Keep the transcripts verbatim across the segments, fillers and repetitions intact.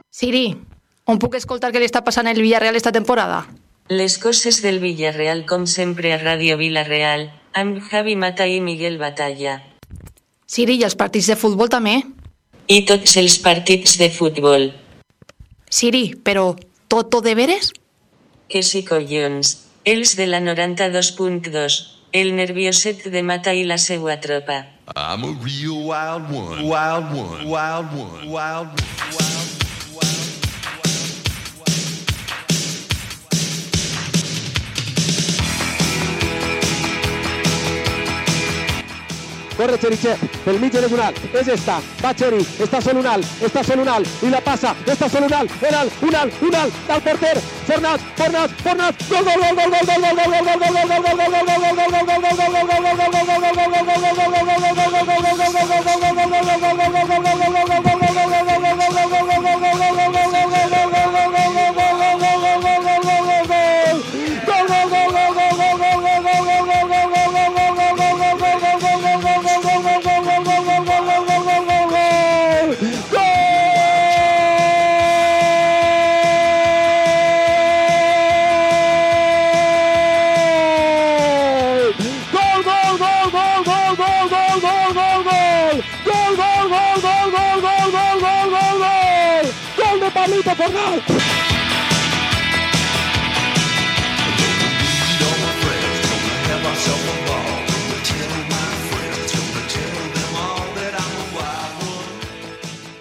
Siri, on puc escoltar què li està passant al Villarreal esta temporada? Les coses del Villarreal com sempre a Ràdio Vila-real, amb Javi Mata i Miguel Batalla. Siri, i els partits de futbol també? I tots els partits de futbol. Siri, però tot de veres? Que sí, collons. Els de la noranta-dos punt dos. El nervioset de Mata i la seua tropa. I'm a real wild one. Wild one. Wild one. Wild one. Corre Cherichev, pel mig de un alt, és esta, va Cheri, està sol un alt, està sol un alt, i la passa, està sol un alt, un alt, un alt, un alt, del porter, Fornats, Fornats, Fornats, gol, gol, gol, gol, gol, gol, gol, gol, gol, gol, gol, gol,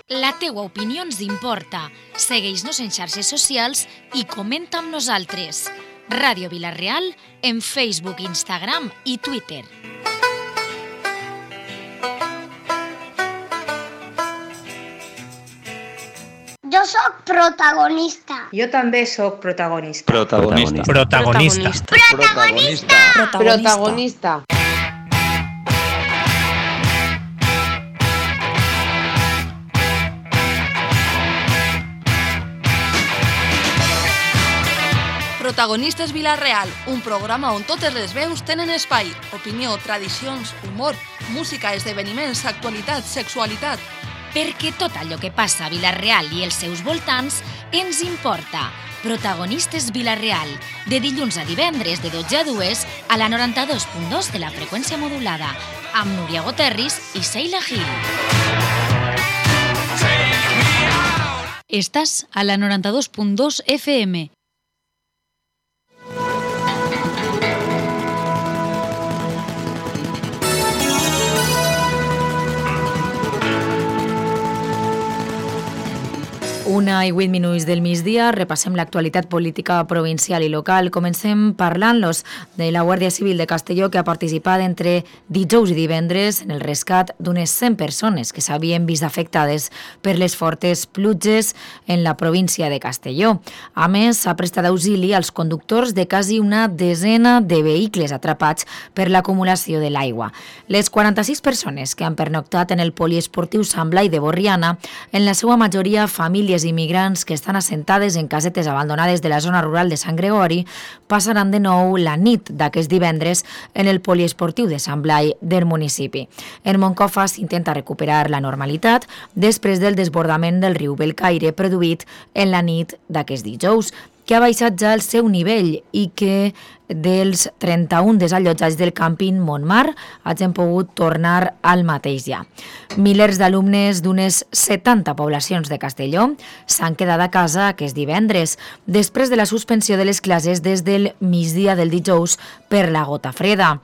La teua opinió ens importa. Segueix-nos en xarxes socials i comenta amb nosaltres. Ràdio Vila-real en Facebook, Instagram i Twitter. Jo sóc protagonista. Jo també sóc protagonista. Protagonista. Protagonista. Protagonista. Protagonista. Protagonistes Vila-real, un programa on totes les veus tenen espai. Opinió, tradicions, humor, música, esdeveniments, actualitat, sexualitat. Perquè tot allò que passa a Vila-real i els seus voltants ens importa. Protagonistes Vila-real, de dilluns a divendres de dotze a dues a la noranta-dos punt dos de la freqüència modulada, amb Núria Goterris i Seila Gil. Estàs a la noranta-dos punt dos F M. Una i vuit minuts del migdia, repassem l'actualitat política provincial i local. Comencem parlant-los de la Guàrdia Civil de Castelló, que ha participat entre dijous i divendres en el rescat d'unes cent persones que s'havien vist afectades per les fortes pluges en la província de Castelló. A més, s'ha prestat auxili als conductors de quasi una desena de vehicles atrapats per l'acumulació de l'aigua. Les quaranta-sis persones que han pernoctat en el poliesportiu Sant Blai de Borriana, en la seva majoria famílies immigrants que estan assentades en casetes abandonades de la zona rural de Sant Gregori, passaran de nou la nit d'aquest divendres en el poliesportiu de Sant Blai del municipi. En Moncofa s'intenta recuperar la normalitat després del desbordament del riu Belcaire produït en la nit d'aquest dijous, que ha baixat ja el seu nivell i que dels trenta-un desallotjats del càmping Montmar hagin pogut tornar al mateix ja. Milers d'alumnes d'unes setanta poblacions de Castelló s'han quedat a casa aquest divendres, després de la suspensió de les classes des del migdia del dijous per la gota freda.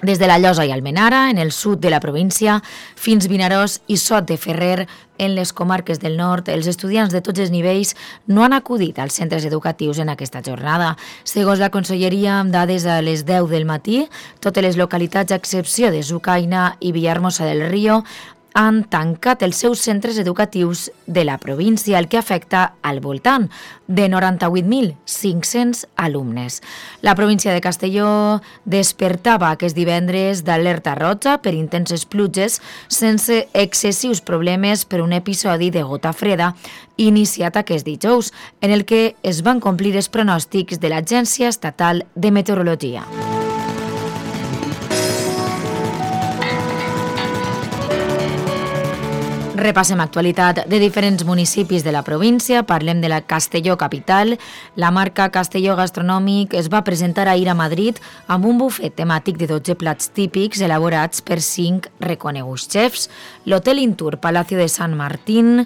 Des de la Llosa i Almenara, en el sud de la província, fins Vinaròs i Sot de Ferrer, en les comarques del nord, els estudiants de tots els nivells no han acudit als centres educatius en aquesta jornada. Segons la Conselleria, amb dades a les deu del matí, totes les localitats, a excepció de Sucaina i Villahermosa del Río, han tancat els seus centres educatius de la província, el que afecta al voltant de noranta-vuit mil cinc-cents alumnes. La província de Castelló despertava aquest divendres d'alerta roja per intenses pluges sense excessius problemes per un episodi de gota freda iniciat aquest dijous, en el que es van complir els pronòstics de l'Agència Estatal de Meteorologia. Repassem actualitat de diferents municipis de la província. Parlem de la Castelló capital. La marca Castelló Gastronòmic es va presentar ahir a Madrid amb un bufet temàtic de dotze plats típics elaborats per cinc reconeguts xefs. L'Hotel Intur Palacio de Sant Martín,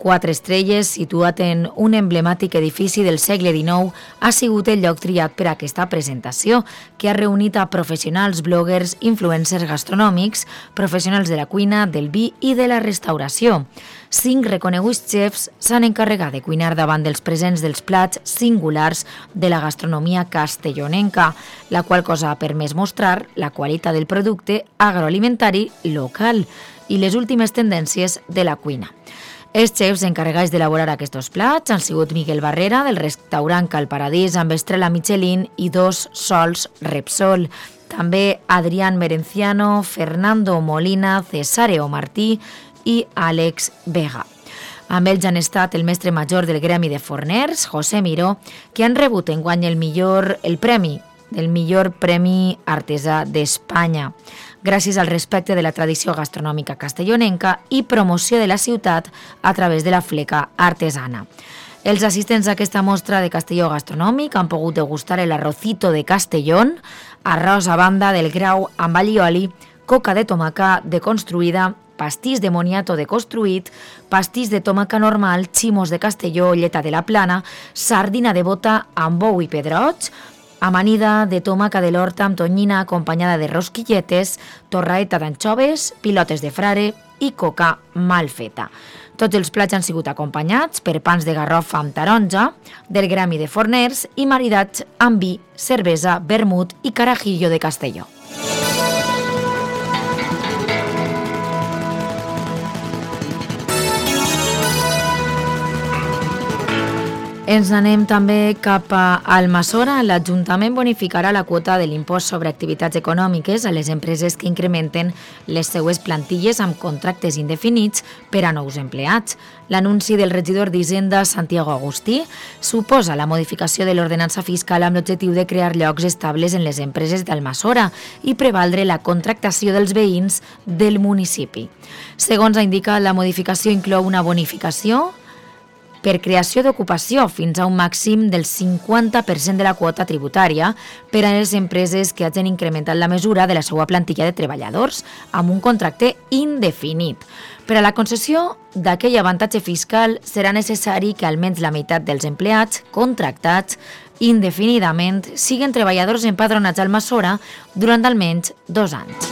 quatre estrelles, situat en un emblemàtic edifici del segle dinou, ha sigut el lloc triat per a aquesta presentació, que ha reunit a professionals, bloggers, influencers gastronòmics, professionals de la cuina, del vi i de la restauració. Cinc reconeguts xefs s'han encarregat de cuinar davant dels presents dels plats singulars de la gastronomia castellonenca, la qual cosa ha permès mostrar la qualitat del producte agroalimentari local i les últimes tendències de la cuina. Els xefs encarregats d'elaborar aquests plats han sigut Miguel Barrera, del restaurant Cal Paradís, amb estrella Michelin i dos sols Repsol. També Adrián Merenciano, Fernando Molina, Cesáreo Martí i Àlex Vega. Amb ells han estat el mestre major del gremi de forners, José Miró, que han rebut enguany el millor el premi, el millor premi artesà d'Espanya, gràcies al respecte de la tradició gastronòmica castellonenca i promoció de la ciutat a través de la fleca artesana. Els assistents a aquesta mostra de Castelló Gastronòmic han pogut degustar el arrocito de Castellón, arròs a banda del grau amb allioli, coca de tomaca deconstruïda, pastís de moniato deconstruït, pastís de tomaca normal, ximos de Castelló, lleta de la Plana, sardina de bota amb bou i pedroig, amanida de tomaca de l'Horta amb tonyina acompanyada de rosquilletes, torraeta d'anxoves, pilotes de frare i coca mal feta. Tots els plats han sigut acompanyats per pans de garrofa amb taronja, del gremi de forners i maridats amb vi, cervesa, vermut i carajillo de Castelló. Ens anem també cap a Almassora. L'Ajuntament bonificarà la quota de l'impost sobre activitats econòmiques a les empreses que incrementen les seues plantilles amb contractes indefinits per a nous empleats. L'anunci del regidor d'Hisenda, Santiago Agustí, suposa la modificació de l'ordenança fiscal amb l'objectiu de crear llocs estables en les empreses d'Almassora i prevaldre la contractació dels veïns del municipi. Segons ha indicat, la modificació inclou una bonificació per creació d'ocupació fins a un màxim del cinquanta per cent de la quota tributària per a les empreses que hagin incrementat la mesura de la seva plantilla de treballadors amb un contracte indefinit. Per a la concessió d'aquell avantatge fiscal serà necessari que almenys la meitat dels empleats contractats indefinidament siguin treballadors empadronats a Almassora durant almenys dos anys.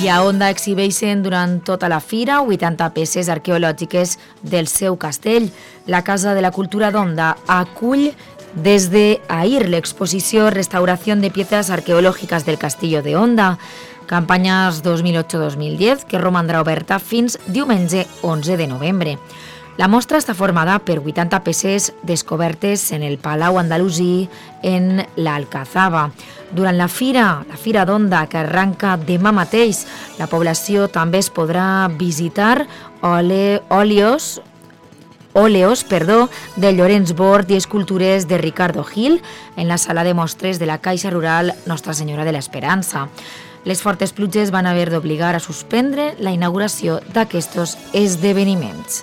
I a Onda exhibeixen durant tota la fira vuitanta peces arqueològiques del seu castell. La Casa de la Cultura d'Onda acull des d'ahir l'exposició Restauració de Piezas Arqueològiques del Castillo de Onda, campanyes dos mil ocho dos mil diez, que romandrà oberta fins diumenge onze de novembre. La mostra està formada per vuitanta peces descobertes en el Palau Andalusí en l'Alcazaba. Durant la fira, la Fira d'Onda, que arranca demà mateix, la població també es podrà visitar ole, òleos, òleos perdó, de Llorenç Bort i escultures de Ricardo Gil en la sala de mostres de la Caixa Rural Nostra Senyora de l'Esperança. Les fortes pluges van haver d'obligar a suspendre la inauguració d'aquests esdeveniments.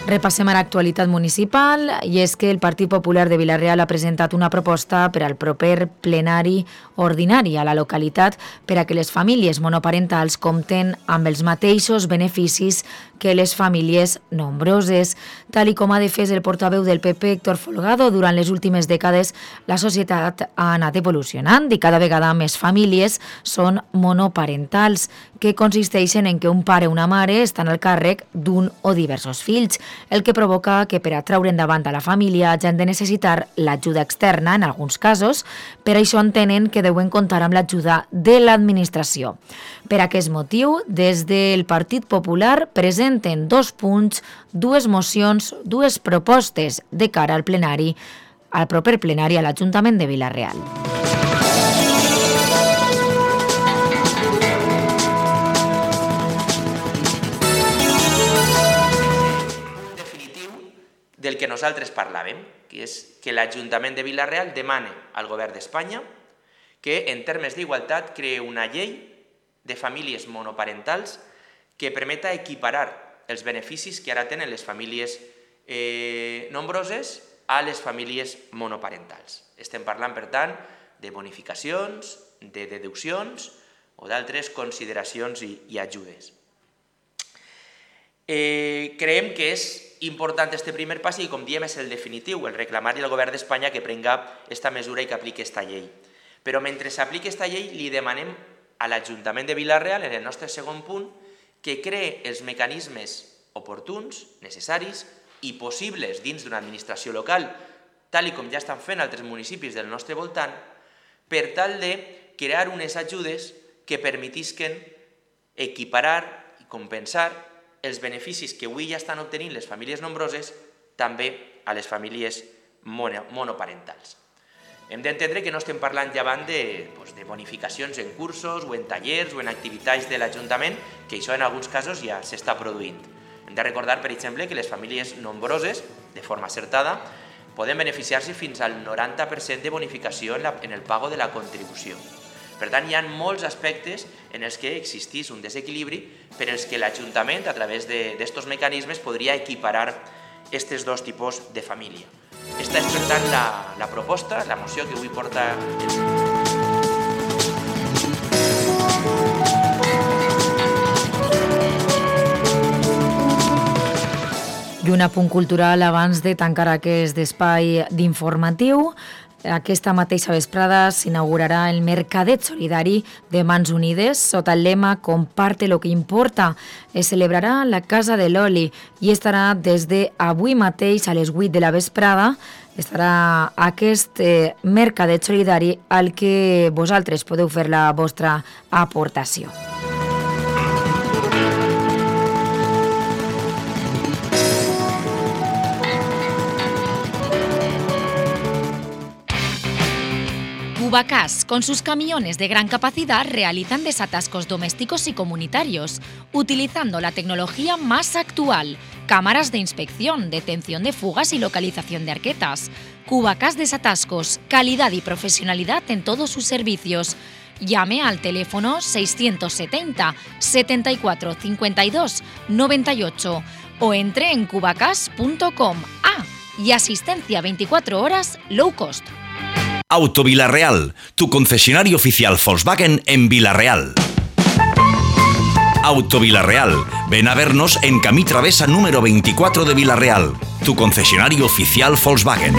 Repassem ara l'actualitat municipal i és que el Partit Popular de Vila-real ha presentat una proposta per al proper plenari ordinari a la localitat per a que les famílies monoparentals compten amb els mateixos beneficis que les famílies nombroses. Tal i com ha defès el portaveu del P P, Héctor Folgado, durant les últimes dècades la societat ha anat evolucionant i cada vegada més famílies són monoparentals, que consisteixen en que un pare o una mare estan al càrrec d'un o diversos fills, el que provoca que per a treure endavant a la família hagin de necessitar l'ajuda externa en alguns casos. Per això entenen que deuen comptar amb l'ajuda de l'administració. Per aquest motiu, des del Partit Popular presenten dos punts, dues mocions, dues propostes de cara al plenari, al proper plenari a l'Ajuntament de Vila-real. Del que nosaltres parlàvem, que és que l'Ajuntament de Vila-real demana al Govern d'Espanya que en termes d'igualtat creï una llei de famílies monoparentals que permeta equiparar els beneficis que ara tenen les famílies eh, nombroses a les famílies monoparentals. Estem parlant, per tant, de bonificacions, de deduccions o d'altres consideracions i, i ajudes. Eh, creiem que és important este primer pas i, com diem, és el definitiu, el reclamar-li al Govern d'Espanya que prenga aquesta mesura i que apliqui aquesta llei. Però mentre s'apliqui aquesta llei li demanem a l'Ajuntament de Vila-real, en el nostre segon punt, que cree els mecanismes oportuns, necessaris i possibles dins d'una administració local, tal com ja estan fent altres municipis del nostre voltant, per tal de crear unes ajudes que permetisquen equiparar i compensar els beneficis que avui ja estan obtenint les famílies nombroses també a les famílies monoparentals. Hem d'entendre que no estem parlant llevant de, doncs, de bonificacions en cursos o en tallers o en activitats de l'Ajuntament, que això en alguns casos ja s'està produint. Hem de recordar, per exemple, que les famílies nombroses, de forma acertada, poden beneficiar-se fins al noranta per cent de bonificació en, la, en el pago de la contribució. Per tant, hi ha molts aspectes en els que existís un desequilibri per als que l'Ajuntament, a través d'aquests mecanismes, podria equiparar aquests dos tipus de família. Esta és, per tant, la, la proposta, la moció que avui porta el... I un apunt cultural abans de tancar aquest espai d'informatiu. Aquesta mateixa vesprada s'inaugurarà el Mercadet Solidari de Mans Unides sota el lema Comparte lo que importa. Es celebrarà a la Casa de l'Oli i estarà des d'avui mateix a les vuit de la vesprada. Estarà aquest eh, Mercadet Solidari al que vosaltres podeu fer la vostra aportació. Cubacas, con sus camiones de gran capacidad, realizan desatascos domésticos y comunitarios, utilizando la tecnología más actual, cámaras de inspección, detención de fugas y localización de arquetas. Cubacas Desatascos, calidad y profesionalidad en todos sus servicios. Llame al teléfono seiscientos setenta, setenta y cuatro, cincuenta y dos, noventa y ocho o entre en cubacas punto com. Ah, y asistencia veinticuatro horas low cost. Auto Vila-real, tu concesionario oficial Volkswagen en Vila-real. Auto Vila-real, ven a vernos en Camí Travesa número veinticuatro de Vila-real, tu concesionario oficial Volkswagen.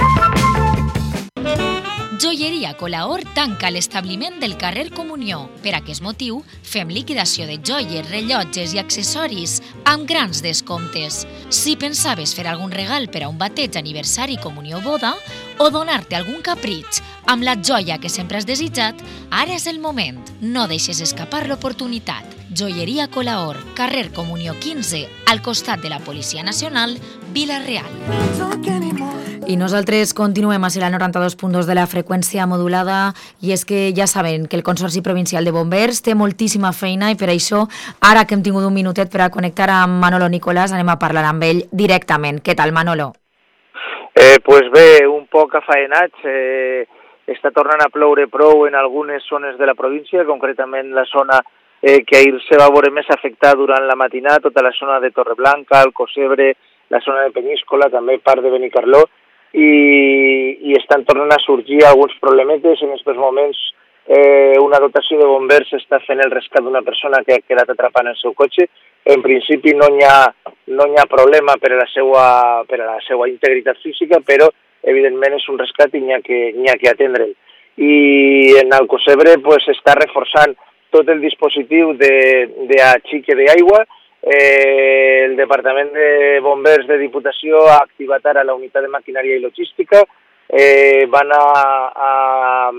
Joieria Colaor tanca l'establiment del carrer Comunió. Per aquest motiu, fem liquidació de joies, rellotges i accessoris amb grans descomptes. Si pensaves fer algun regal per a un bateig, aniversari, comunió o boda, o donar-te algun capritx amb la joia que sempre has desitjat, ara és el moment. No deixes escapar l'oportunitat. Joieria Colaor, carrer Comunió quinze, al costat de la Policia Nacional, Vila-real. I nosaltres continuem a ser la noranta-dos punt dos de la freqüència modulada i és que ja saben que el Consorci Provincial de Bombers té moltíssima feina i per això, ara que hem tingut un minutet per a connectar amb Manolo Nicolás, anem a parlar amb ell directament. Què tal, Manolo? Eh, pues bé, un poc afaenats. Eh, està tornant a ploure prou en algunes zones de la província, concretament la zona eh, que ahir se va veure més afectada durant la matinada, tota la zona de Torreblanca, el Cosebre, la zona de Peníscola, també part de Benicarló, i, i estan tornant a sorgir alguns problemetes. En aquests moments eh, una dotació de bombers està fent el rescat d'una persona que ha quedat atrapada en el seu cotxe. En principi no hi ha, no hi ha problema per a la seva, per a la seva integritat física, però evidentment és un rescat i n'hi ha que, n'hi ha que atendre'l. I en el Cosebre pues, està reforçant tot el dispositiu d'axique d'aigua. Eh, el Departament de Bombers de Diputació ha activat ara la unitat de maquinària i logística. Eh, van a, a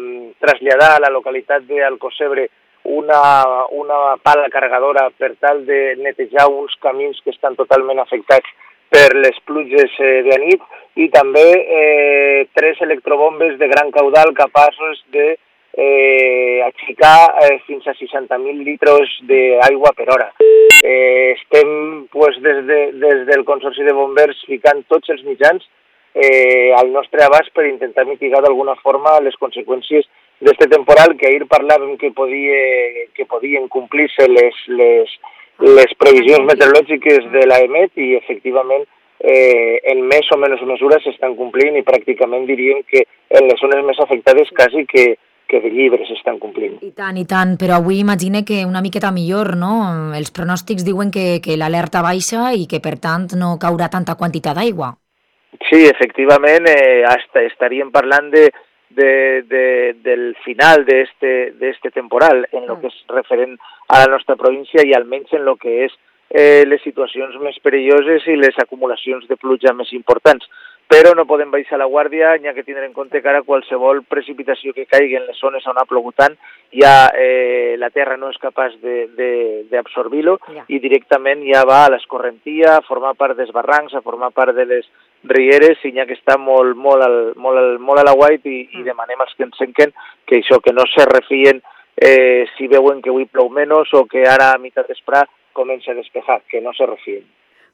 traslladar a la localitat d'Alcocebre una, una pala carregadora per tal de netejar uns camins que estan totalment afectats per les pluges eh, de nit i també eh, tres electrobombes de gran caudal capaços de eh, axicar eh, fins a seixanta mil litres d'aigua per hora. Eh, estem pues, des, de, des del Consorci de Bombers ficant tots els mitjans eh, al nostre abast per intentar mitigar d'alguna forma les conseqüències d'este temporal, que ahir parlàvem que, podia, que podien complir-se les, les, les previsions meteorològiques de l'AEMET i efectivament eh, en més o menys mesura s'estan complint i pràcticament diríem que en les zones més afectades quasi que, que de llibre s'estan complint. I tant, i tant, però avui imagine que una miqueta millor, no? Els pronòstics diuen que, que l'alerta baixa i que per tant no caurà tanta quantitat d'aigua. Sí, efectivament, eh, hasta estaríem parlant de De, de, del final de este, de este temporal en lo que és referent a la nostra província i almenys en lo que és eh, les situacions més perilloses i les acumulacions de pluja més importants. Però no podem baixar la guàrdia, n'hi ha que tindre en compte que ara qualsevol precipitació que caigui en les zones on ha plogut tant, ja eh, la terra no és capaç d'absorbir-lo ja. I directament ja va a l'escorrentia, a formar part dels barrancs, a formar part de les rieres, i n'hi ha que està molt, molt, al, molt, al, molt a la guait i, i demanem als que ens senquen que això, que no se refien eh, si veuen que avui plou menys o que ara a meitat d'esprà comença a despejar, que no se refien.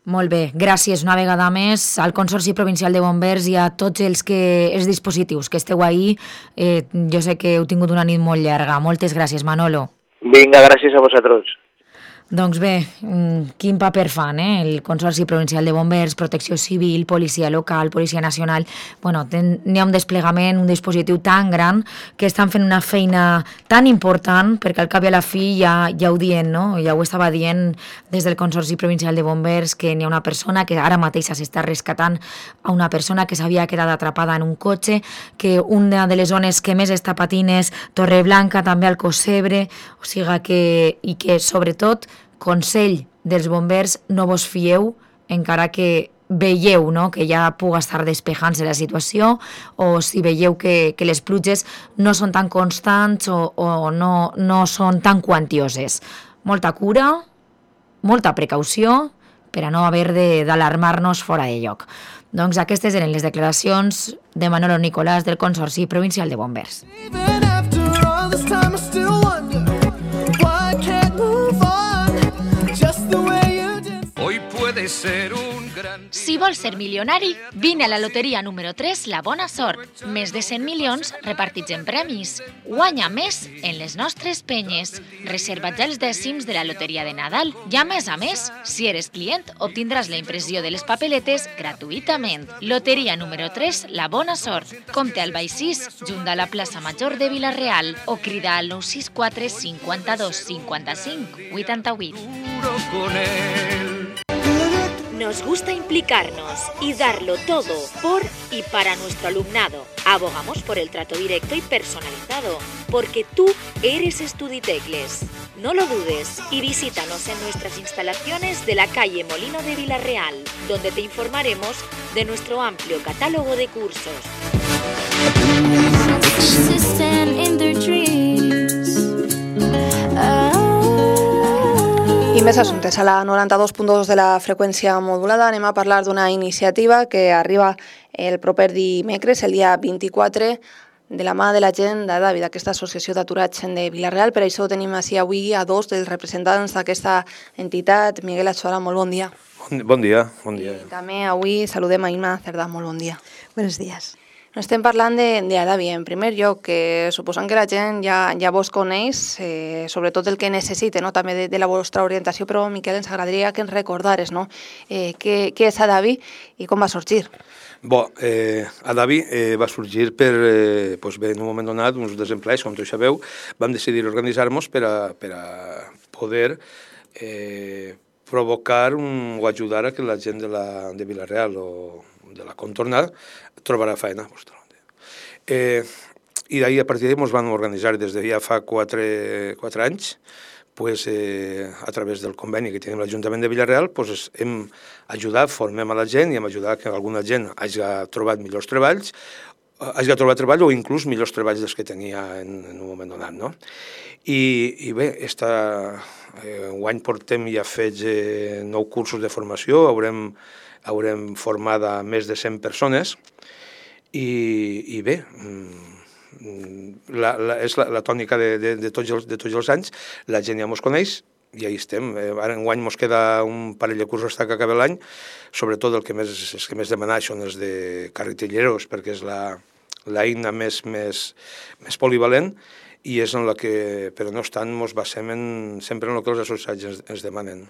Molt bé, gràcies una vegada més al Consorci Provincial de Bombers i a tots els, que, els dispositius que esteu ahí. Eh, jo sé que heu tingut una nit molt llarga. Moltes gràcies, Manolo. Vinga, gràcies a vosaltres. Doncs bé, quin paper fan, eh? El Consorci Provincial de Bombers, Protecció Civil, Policia Local, Policia Nacional. Bueno, n'hi ha un desplegament, un dispositiu tan gran que estan fent una feina tan important, perquè al cap i a la fi ja, ja ho dient, no? Ja ho estava dient des del Consorci Provincial de Bombers, que n'hi ha una persona que ara mateix s'està rescatant a una persona que s'havia quedat atrapada en un cotxe, que una de les zones que més està patint és Torreblanca, també al Cosebre, o sigui que, i que sobretot consell dels bombers, no vos fieu, encara que veieu, no?, que ja puga estar despejant-se la situació, o si veieu que, que les pluges no són tan constants o, o no, no són tan quantioses. Molta cura, molta precaució, per a no haver d'alarmar-nos fora de lloc. Doncs aquestes eren les declaracions de Manolo Nicolás del Consorci Provincial de Bombers. Si vols ser milionari, vine a la loteria número tres, La Bona Sort. Més de cent milions repartits en premis. Guanya més en les nostres penyes. Reserva ja els dècims de la loteria de Nadal. I a més a més, si eres client, obtindràs la impressió de les papeletes gratuïtament. Loteria número tres, La Bona Sort. Compte al Baix sis, junt a la plaça Major de Vila-real, o crida al nou sis quatre cinquanta-dos cinquanta-cinc vuitanta-vuit. Nos gusta implicarnos y darlo todo por y para nuestro alumnado. Abogamos por el trato directo y personalizado, porque tú eres Estuditecles. No lo dudes y visítanos en nuestras instalaciones de la calle Molino de Vila-real, donde te informaremos de nuestro amplio catálogo de cursos. I més assumptes. A la noranta-dos punt dos de la freqüència modulada anem a parlar d'una iniciativa que arriba el proper dimecres, el dia vint-i-quatre, de la mà de la gent d'Adavi, d'aquesta associació d'aturats de Vila-real. Per això tenim així avui a dos dels representants d'aquesta entitat. Miguel Achuara, molt bon dia. Bon, bon dia, bon dia. I també avui saludem a Imma Cerdà, molt bon dia. Buenos días. No estem parlant d'Adavi, en primer lloc, que suposant que la gent ja, ja vos coneix, eh, sobretot el que necessite, no? També de, de la vostra orientació, però Miquel, ens agradaria que ens recordares, no? eh, què, què és Adavi i com va sorgir. Bo, eh, Adavi eh, va sorgir per, eh, doncs bé, en un moment donat, uns desempleats, com tots sabeu, vam decidir organitzar-nos per a, per a poder eh, provocar un, o ajudar a que la gent de, la, de Vila-real o de la contornada trobarà feina. Eh, I d'ahir, a partir d'ahir, ens vam organitzar des de ja fa quatre, quatre anys, pues, eh, a través del conveni que tenim l'Ajuntament de Vila-real, pues, hem ajudat, formem a la gent i hem ajudat que alguna gent hagi trobat millors treballs, hagi trobat treball o inclús millors treballs dels que tenia en, en un moment donat. No? I, i bé, esta, eh, un any portem ja fets eh, nou cursos de formació, haurem haurem format a més de cent persones i, i bé, la, la, és la, la tònica de, de, de, tots els, de tots els anys, la gent ja mos coneix, i ahí estem. Ara enguany ens queda un parell de cursos fins que acabi l'any, sobretot el que més, els que més demanar són els de carretilleros, perquè és la, l'eina més, més, més polivalent, i és en la que, però no obstant, ens basem en, sempre en el que els associats ens, ens demanen.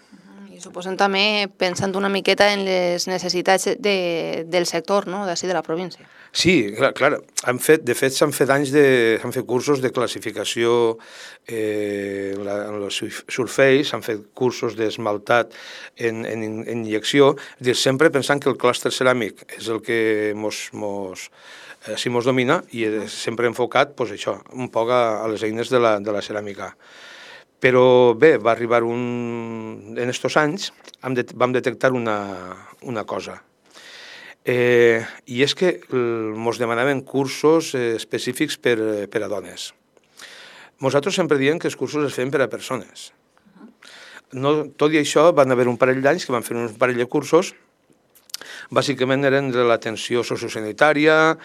I suposem també pensant una miqueta en les necessitats de, del sector, no?, d'ací de la província. Sí, clar, clar. Han fet, de fet, s'han fet anys de, s'han fet cursos de classificació eh, en, la, en els surface, s'han fet cursos d'esmaltat en, en, en injecció, és dir, sempre pensant que el clúster ceràmic és el que mos, mos, eh, si mos domina, i sempre enfocat, pues, això, un poc a, a les eines de la, de la ceràmica. Però bé, va arribar un... En estos anys vam detectar una, una cosa. Eh, I és que ens demanaven cursos eh, específics per, per a dones. Nosaltres sempre diem que els cursos es feien per a persones. No, tot i això, van haver un parell d'anys que van fer un parell de cursos. Bàsicament eren de l'atenció sociosanitària,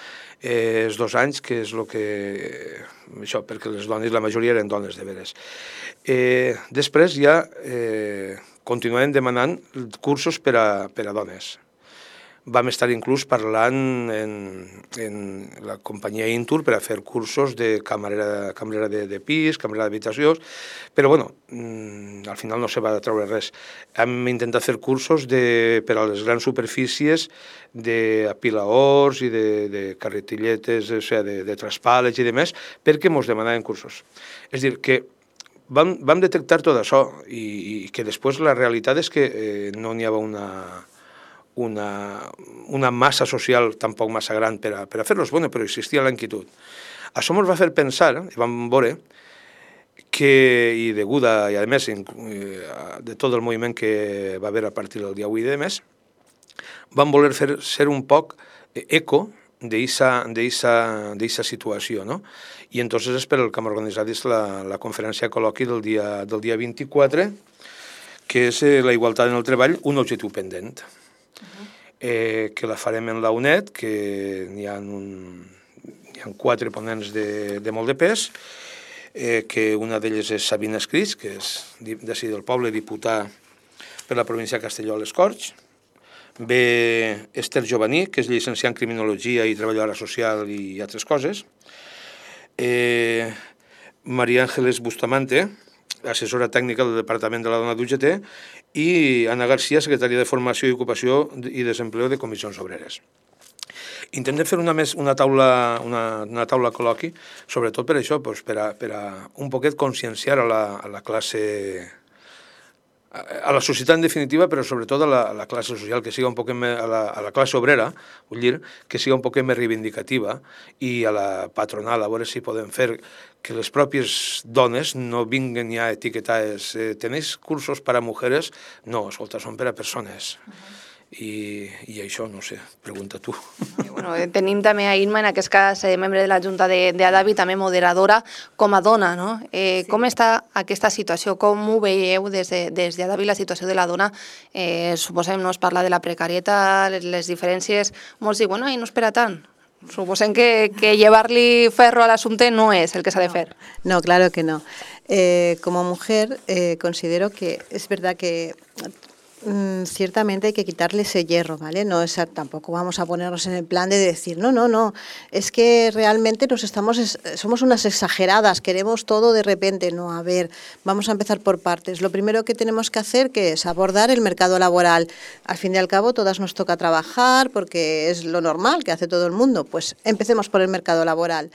eh, els dos anys, que és el que... Això, perquè les dones, la majoria eren dones, de veres. Eh, després ja eh, continuem demanant cursos per a, per a dones. Vam estar inclús parlant en, en la companyia Intur per a fer cursos de camarera, camarera de, de pis, camarera d'habitació, però bueno, al final no se va treure res. Hem intentat fer cursos de, per a les grans superfícies d'apilaors i de, de carretilletes, o sigui, de, de traspàlets i demés, perquè ens demanaven cursos. És a dir, que vam, vam detectar tot això i, i que després la realitat és que eh, no n'hi havia una... Una, una massa social tampoc massa gran per a, per a fer-los, bueno, però existia la inquietud. Això ens va fer pensar, i vam veure, que, i deguda, i a més, de tot el moviment que va haver a partir del dia avui de més, vam voler fer, ser un poc eco d'aquesta situació, no? I entonces és per el que hem organitzat la, la conferència col·loqui del dia, del dia vint-i-quatre, que és la igualtat en el treball, un objectiu pendent. Eh, que la farem en la U N E D, que n'hi ha, un, hi ha quatre ponents de, de molt de pes, eh, que una d'elles és Sabina Escrits, que és d'ací del poble, diputada per la província de Castelló a les Corts, ve Esther Jovaní, que és llicenciada en Criminologia i treballadora social i altres coses, eh, Maria Ángeles Bustamante, assessora tècnica del Departament de la Dona d'U G T, i Anna Garcia, secretària de Formació i Ocupació i Desempleo de Comissions Obreres. Intentem fer una, més, una, taula, una, una taula col·loqui, sobretot per això, doncs, per, a, per a un poquet conscienciar a la, a la classe, a la societat en definitiva, però sobretot a la, a la classe social, que siga un poquet més, a la, a la classe obrera, vull dir, que siga un poquet més reivindicativa, i a la patronal, a veure si podem fer que les pròpies dones no vinguen ja etiquetades. Eh, ¿Tenéis cursos para mujeres? No, escolta, són per a persones. Uh-huh. I, i això, no sé, pregunta tu. I, bueno, tenim també a Irma, en aquest cas, eh, membre de la Junta d'Adavi, també moderadora com a dona, no? Eh, sí. Com està aquesta situació? Com ho veieu des de, des d'Adavi, la situació de la dona? Eh, suposem, no es parla de la precarietat, les diferències, molts diuen, no, no espera tant. Suposem que, que llevar-li ferro a l'assumpte no es el que s'ha de fer. No, no, claro que no. Eh, como mujer eh, considero que es verdad que mm, ciertamente hay que quitarle ese hierro, ¿vale? No es, tampoco vamos a ponernos en el plan de decir, no, no, no, es que realmente nos estamos, somos unas exageradas, queremos todo de repente. No, a ver, vamos a empezar por partes. Lo primero que tenemos que hacer que es abordar el mercado laboral. Al fin y al cabo, todas nos toca trabajar porque es lo normal que hace todo el mundo. Pues empecemos por el mercado laboral.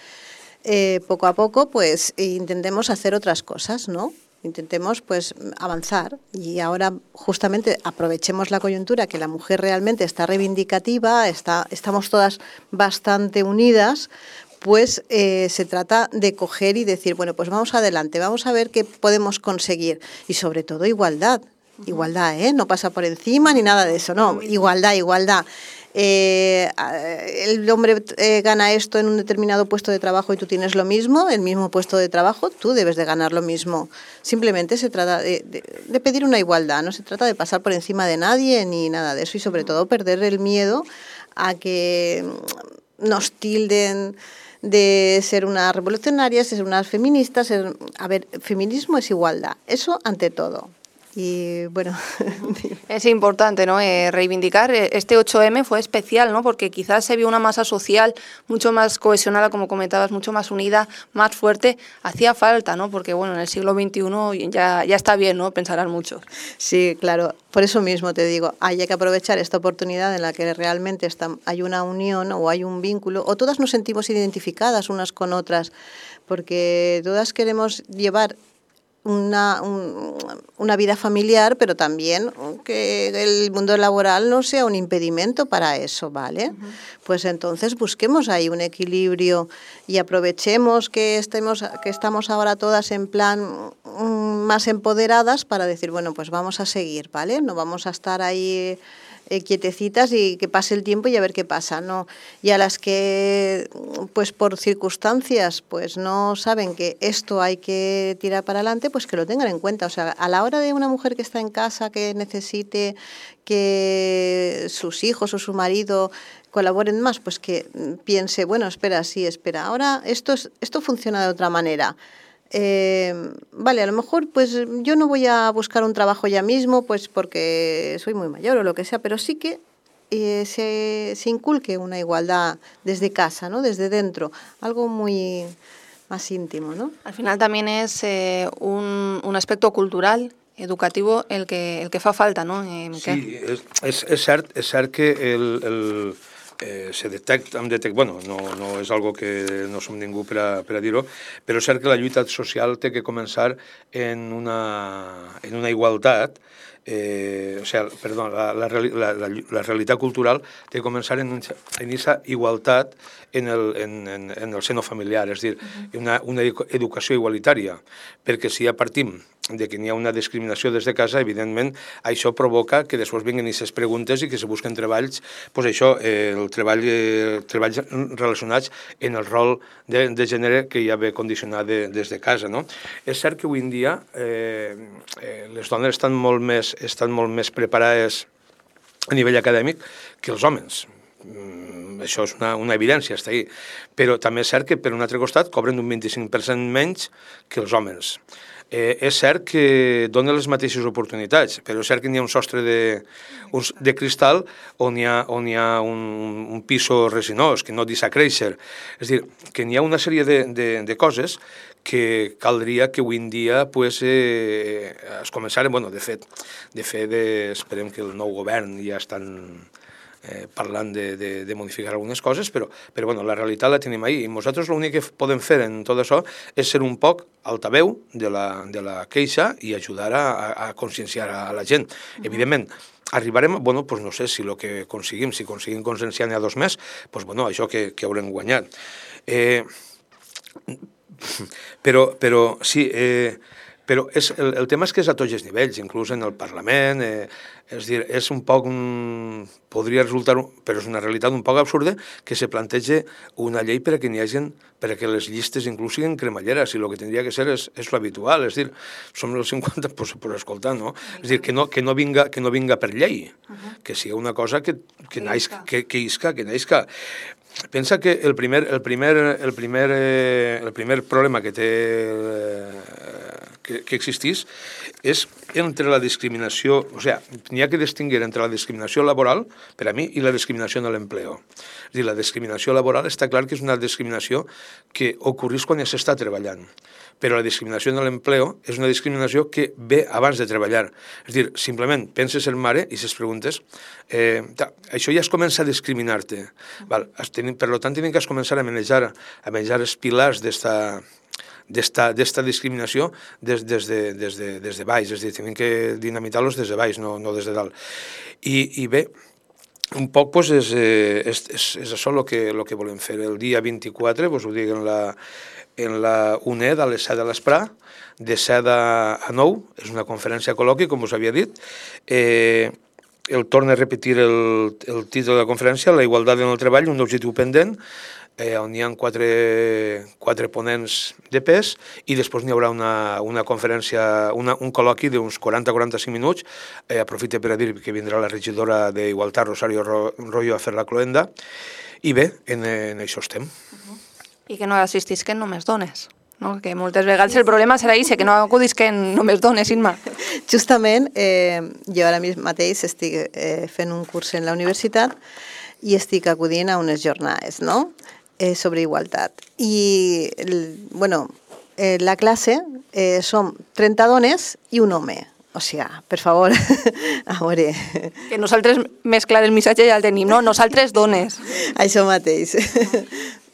Eh, poco a poco, pues intentemos hacer otras cosas, ¿no? Intentemos pues avanzar y ahora justamente aprovechemos la coyuntura que la mujer realmente está reivindicativa, está, estamos todas bastante unidas, pues eh, se trata de coger y decir, bueno, pues vamos adelante, vamos a ver qué podemos conseguir y sobre todo igualdad, igualdad, ¿eh? No pasa por encima ni nada de eso, no, igualdad, igualdad. Eh, el hombre eh, gana esto en un determinado puesto de trabajo y tú tienes lo mismo, el mismo puesto de trabajo, tú debes de ganar lo mismo. Simplemente se trata de, de, de pedir una igualdad, no se trata de pasar por encima de nadie ni nada de eso y sobre todo perder el miedo a que nos tilden de ser una revolucionaria, ser una feminista. Ser... A ver, feminismo es igualdad, eso ante todo. Y bueno, es importante, ¿no? Eh, reivindicar. Este ocho eme fue especial, ¿no? Porque quizás se vio una masa social mucho más cohesionada, como comentabas, mucho más unida, más fuerte. Hacía falta, ¿no? Porque bueno, en el siglo veintiuno ya, ya está bien, ¿no? Pensarán muchos. Sí, claro. Por eso mismo te digo, hay que aprovechar esta oportunidad en la que realmente está, hay una unión o hay un vínculo, o todas nos sentimos identificadas unas con otras, porque todas queremos llevar Una, un, una vida familiar, pero también que el mundo laboral no sea un impedimento para eso, ¿vale? Uh-huh. Pues entonces busquemos ahí un equilibrio y aprovechemos que estemos, que estamos ahora todas en plan um, más empoderadas para decir, bueno, pues vamos a seguir, ¿vale? No vamos a estar ahí Eh, quietecitas y que pase el tiempo y a ver qué pasa, ¿no? Y a las que, pues por circunstancias, pues no saben que esto hay que tirar para adelante, pues que lo tengan en cuenta. O sea, a la hora de una mujer que está en casa, que necesite que sus hijos o su marido colaboren más, pues que piense, bueno, espera, sí, espera, ahora esto, es, esto funciona de otra manera. Eh, vale, a lo mejor pues yo no voy a buscar un trabajo ya mismo pues porque soy muy mayor o lo que sea, pero sí que eh, se, se inculque una igualdad desde casa, ¿no? Desde dentro, algo muy más íntimo, ¿no? Al final también es eh, un, un aspecto cultural, educativo, el que, el que fa falta, ¿no? Eh, sí, és, és, és, cert, és cert que el... el... Eh, se detecta, detect... bueno, no, no és algo que no som ningú per a, per a dir-ho, però és cert que la lluita social té que començar en una, en una igualtat, eh, o sigui, perdó, la, la, la, la, la realitat cultural té que començar en aquesta igualtat en el, en, en, en el seno familiar, és a dir, una, una educació igualitària, perquè si ja partim de que n'hi ha una discriminació des de casa, evidentment, això provoca que després vinguin aquestes preguntes i que se busquen treballs, doncs això, eh, el treball, eh, treballs relacionats en el rol de, de gènere que ja ve condicionat de, des de casa, no? És cert que avui en dia eh, eh, les dones estan molt més, estan molt més preparades a nivell acadèmic que els homes. Mm, això és una, una evidència, està ahí. Però també és cert que, per un altre costat, cobren un vint-i-cinc per cent menys que els homes. Eh, és cert que dona les mateixes oportunitats, però és cert que n'hi ha un sostre de, un, de cristal on hi ha, on hi ha un, un piso resinós que no deixa créixer. És a dir, que n'hi ha una sèrie de, de, de coses que caldria que avui en dia pues, eh, es començaren, bueno, de fet, de fet de, esperem que el nou govern ja estan eh, parlant de, de, de modificar algunes coses, però, però bueno, la realitat la tenim ahí. I nosaltres l'únic que podem fer en tot això és ser un poc altaveu de la, de la queixa i ajudar a, a conscienciar a la gent. Uh-huh. Evidentment, arribarem, bueno, pues no sé si el que aconseguim, si aconseguim conscienciar n'hi ha dos més, pues bueno, això que, que haurem guanyat. Eh, però, però sí, eh, però és, el, el tema és que és a tots els nivells, inclús en el Parlament, eh, és dir, és un poc, un, podria resultar, però és una realitat un poc absurda, que se plantegi una llei per a que n'hi hagi, per a que les llistes inclús siguin cremalleres, i el que tindria que ser és, és l'habitual, és dir, som el cinquanta, pues, per escoltar, no? És dir, que no, que no, vinga, que no vinga per llei, uh-huh. que sigui una cosa que, que, naixca, que, que isca, que naixca. Pensa que el primer, el primer, el primer, eh, el primer problema que té eh, que, que existís és entre la discriminació, o sigui, n'hi ha que distingir entre la discriminació laboral, per a mi, i la discriminació en l'empleo. És dir, la discriminació laboral està clar que és una discriminació que ocorreix quan ja s'està treballant, però la discriminació en l'empleo és una discriminació que ve abans de treballar. És dir, simplement penses en mare i ses preguntes, eh, això ja es comença a discriminar-te. Val? Per tant, tenen que començar a manejar, a manejar els pilars d'esta d'esta discriminació des, des, de, des, de, des de baix, és a dir, tenim que dinamitar-los des de baix, no, no des de dalt. I, i bé, un poc pues, és, és, és, és això el que, el que volem fer. El dia vint-i-quatre, pues, ho dic en la, en la U N E D a les set de l'esprà, de set a nou, és una conferència col·loqui, com us havia dit. Eh, el torna a repetir el, el títol de la conferència, la igualtat en el treball, un objectiu pendent, eh, on hi ha quatre, quatre ponents de pes, i després n'hi haurà una, una conferència, una, un col·loqui d'uns quaranta a quaranta-cinc minuts. Eh, aprofite per a dir que vindrà la regidora d'Igualtat, Rosario Royo, a fer la cloenda, i bé, en, en això estem. Uh-huh. I que no assistisquen només dones. No? Que moltes vegades el problema serà això, que no acudisquen només dones, Inma. Justament, eh, jo ara mateix estic eh, fent un curs en la universitat i estic acudint a unes jornades, no?, eh, sobre igualtat. I, el, bueno, eh, la classe eh, som trenta dones i un home. O sigui, per favor, a veure... Que nosaltres més clar el missatge ja el tenim, no? Nosaltres dones. Això mateix.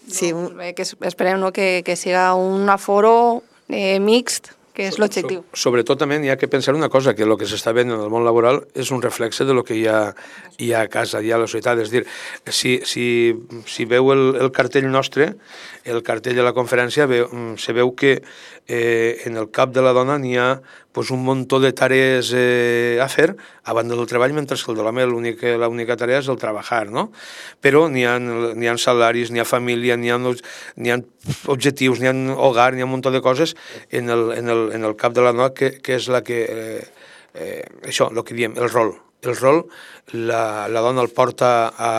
Sí. No, bé, que esperem, no, que, que siga un aforo eh, mixt, que és l'objectiu. So, sobretot també hi ha que pensar una cosa, que el que s'està veient en el món laboral és un reflexe de lo que hi ha, hi ha a casa, hi ha a la societat. És dir, si, si, si veu el, el cartell nostre, el cartell de la conferència, veu, se veu que eh, en el cap de la dona n'hi ha pues, un muntó de tarees eh, a fer a banda del treball, mentre que el de l'home l'única tarea és el treballar, no? Però n'hi ha, n'hi ha salaris, n'hi ha família, n'hi ha, n'hi ha objectius, n'hi ha hogar, n'hi ha un muntó de coses en el, en el, en el cap de la dona que, que és la que, eh, eh, això, el que diem, el rol. El rol, la, la dona el porta a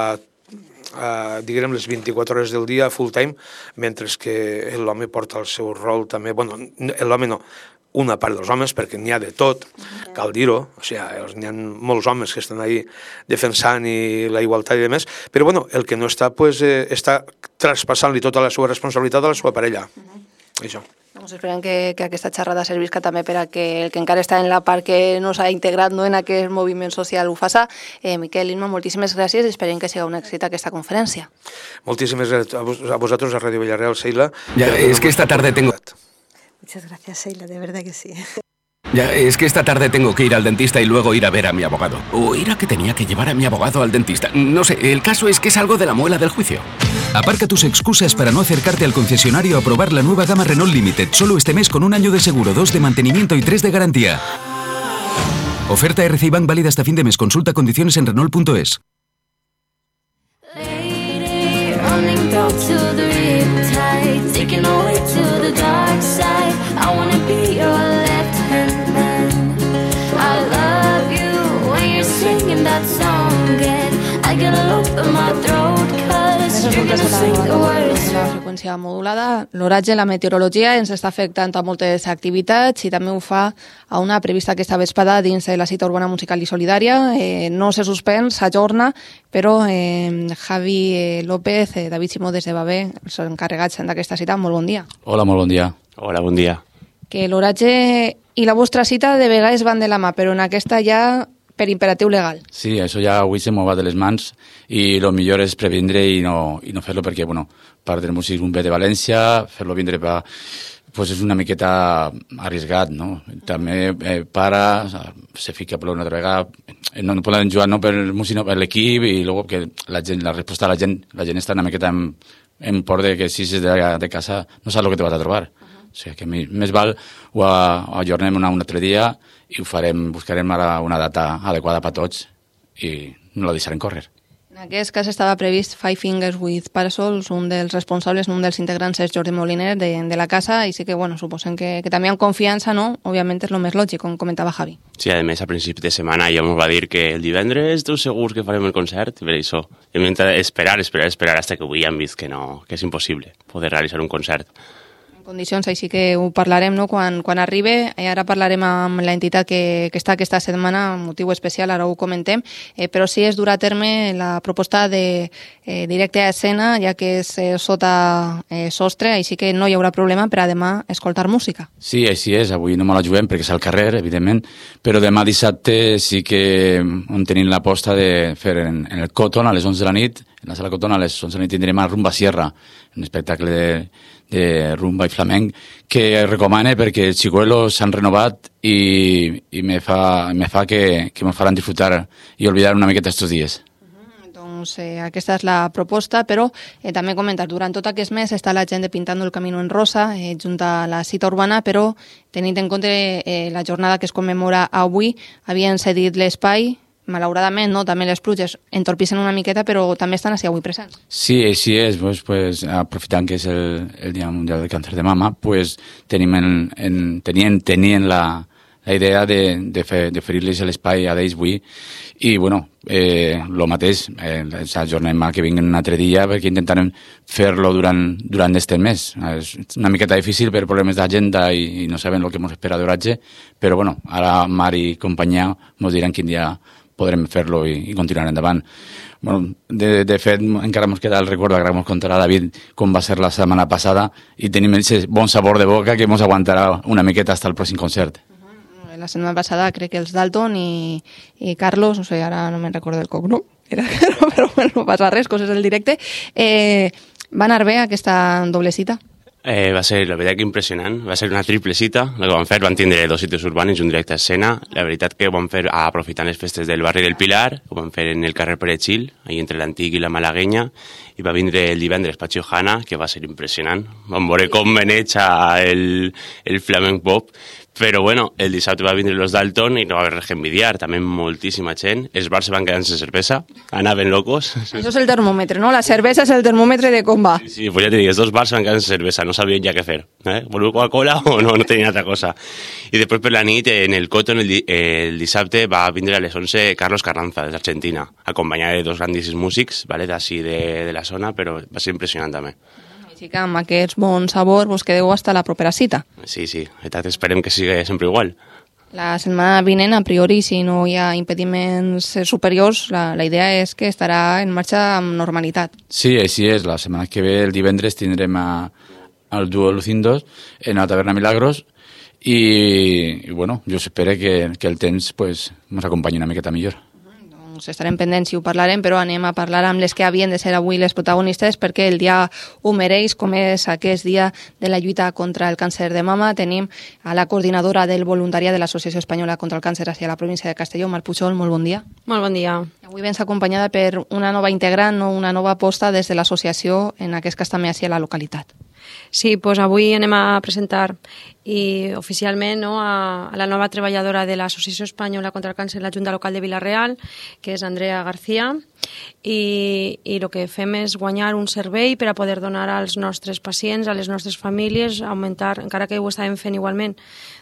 Uh, diguem les vint-i-quatre hores del dia full time, mentre que l'home porta el seu rol també, bueno, l'home no, una part dels homes, perquè n'hi ha de tot, cal dir-ho, o sigui, n'hi ha molts homes que estan ahí defensant i la igualtat i demés, però bueno, el que no està, pues, eh, està traspassant-li tota la seva responsabilitat a la seva parella. Uh-huh. Això. Doncs esperem que, que aquesta xerrada servisca també per a que el que encara està en la part que no s'ha integrat, no, en aquest moviment social ho faça. Eh, Miquel, Inma, moltíssimes gràcies i esperem que sigui un èxit aquesta conferència. Moltíssimes gràcies a, vos, a vosaltres, a Radio Villarreal, Seila. Ya, es que esta tarde tengo... Muchas gracias, Seila, de verdad que sí. Ya, es que esta tarde tengo que ir al dentista y luego ir a ver a mi abogado. O era que tenía que llevar a mi abogado al dentista. No sé, el caso es que es algo de la muela del juicio. Aparca tus excusas para no acercarte al concesionario a probar la nueva gama Renault Limited, solo este mes con un año de seguro, dos de mantenimiento y tres de garantía. Oferta R C I Bank válida hasta fin de mes. Consulta condiciones en Renault punto es. La freqüència modulada, l'oratge, la meteorologia ens està afectant a moltes activitats i també ho fa a una prevista aquesta vesprada dins de la cita urbana musical i solidària. Eh, no se suspèn, s'ajorna, però eh, Javi eh, López, eh, David Simó des de Babé, els encarregats d'aquesta cita, molt bon dia. Hola, molt bon dia. Hola, bon dia. Que l'oratge i la vostra cita de vegades van de la mà, però en aquesta ja per imperatiu legal. Sí, això ja avui se m'ho va de les mans i el millor és previndre i no, i no fer-lo perquè, bueno, part del músic ve de València, fer-lo vindre pa, pues és una miqueta arriesgat, no? També eh, para, se fica a ploure una altra vegada, no, no poden jugar no per el músic, no per l'equip i luego que la, gent, la resposta de la gent, la gent està una miqueta en, en por de que si és de, de casa no saps el que te vas a trobar. Uh-huh. O sigui que més val ho ajornem una, un altre dia i ho farem, buscarem ara una data adequada per tots i no la deixarem córrer. En aquest cas estava previst Five Fingers with Parasols, un dels responsables, un dels integrants és Jordi Moliner de, de la casa, i sí que, bueno, suposen que, que també amb confiança, no? Òbviament és el més lògic, com comentava Javi. Sí, a més, a principi de setmana ja ens va dir que el divendres esteu segurs que farem el concert, i per això hem d'esperar, esperar, esperar, fins que avui hem vist que no, que és impossible poder realitzar un concert. Condicions, així que ho parlarem, no? quan, quan arribi. I ara parlarem amb l'entitat que, que està aquesta setmana, motiu especial, ara ho comentem, eh, però sí es durà a terme la proposta de eh, directe a escena, ja que és eh, sota eh, sostre, així que no hi haurà problema per a demà escoltar música. Sí, així és, avui no me la juguem perquè és al carrer, evidentment, però demà dissabte sí que on tenim l'aposta de fer en, en el Cotton a les onze de la nit, en la sala Cotton a les onze de la nit tindrem el Rumba Sierra, un espectacle de de rumba i flamenc, que recomane perquè els xicuelos s'han renovat i, i me fa, me fa que, que me faran disfrutar i oblidar una miqueta estos dies. Uh-huh. Doncs eh, aquesta és la proposta, però eh, també comentar, durant tot aquest mes està la gent de Pintando el Camino en Rosa, eh, junt a la cita urbana, però tenint en compte eh, la jornada que es commemora avui, havien cedit l'espai, malauradament, no? També les pluges entorpissen una miqueta, però també estan així avui presents. Sí, així és. Pues, pues, aprofitant que és el, el Dia Mundial del Càncer de Mama, pues, tenim en, en, tenien, tenien la, la idea de, de, fer, de oferir-los l'espai a d'ells avui. I, bueno, eh, el mateix, eh, ens ajornem a que vinguin un altre dia perquè intentarem fer-lo durant, durant este mes. És una miqueta difícil per problemes d'agenda i, i no sabem el que ens espera d'oratge, però, bueno, ara Mar i companyia ens diran quin dia podrem fer-lo i, i continuar endavant. Bueno, de, de fet, encara ens queda el record, encara ens contarà David com va ser la setmana passada i tenim aquest bon sabor de boca que ens aguantarà una miqueta fins al pròxim concert. La setmana passada crec que els Dalton i, i Carlos, no sé, ara no me'n recordo el cognom, era, però bueno, no passa res, coses del directe, eh, va anar bé aquesta doble cita? Eh, va ser, la veritat, que impressionant. Va ser una triple cita. El que vam fer, van tindre dos sitios urbanis i un directe a escena. La veritat que ho vam fer aprofitant les festes del barri del Pilar, ho vam fer en el carrer Perejil, ahí entre l'Antic i la Malaguenya, i va vindre el divendres Patxi Ohana, que va ser impressionant. Vam veure com veneja el, el flamenc pop, però bueno, el dissabte va vindre los Dalton i no va haver res que envidiar, també moltíssima gent. Els bars se van quedar sense cervesa, anaven locos. Això és el termòmetre, no? La cervesa és el termòmetre de com va. Sí, sí, pues ja te dic, els dos bars se van quedar sense cervesa, no sabien ja què fer. Eh? Voleu Coca-Cola o no, no tenien altra cosa. I després per la nit, en el Cotton, el, el dissabte, va vindre a les onze Carlos Carranza, des d'Argentina, acompanyat de dos grandíssims músics, vale, d'ací de, de la zona, però va ser impressionant també. Així que amb aquest bon sabor vos quedeu hasta la propera cita. Sí, sí, esperem que sigui sempre igual. La setmana vinent, a priori, si no hi ha impediments superiors, la, la idea és que estarà en marxa amb normalitat. Sí, així és. La setmana que ve, el divendres, tindrem a, al duo Lucindos en la taverna Milagros i, i bueno, jo espero que, que el temps pues, ens acompanyi una miqueta millor. Estarem pendents si ho parlarem, però anem a parlar amb les que havien de ser avui les protagonistes perquè el dia ho mereix, com és aquest dia de la lluita contra el càncer de mama. Tenim a la coordinadora del voluntariat de l'Associació Espanyola contra el Càncer hacia la província de Castelló, Mar Pujol, molt bon dia. Molt bon dia. Avui vens acompanyada per una nova integrant, no? Una nova aposta des de l'associació, en aquest cas també hacia la localitat. Sí, doncs avui anem a presentar i oficialment no, a, a la nova treballadora de l'Associació Espanyola contra el Càncer, la Junta Local de Vila-real, que és Andrea García, i, i el que fem és guanyar un servei per a poder donar als nostres pacients, a les nostres famílies, augmentar, encara que ho estàvem fent igualment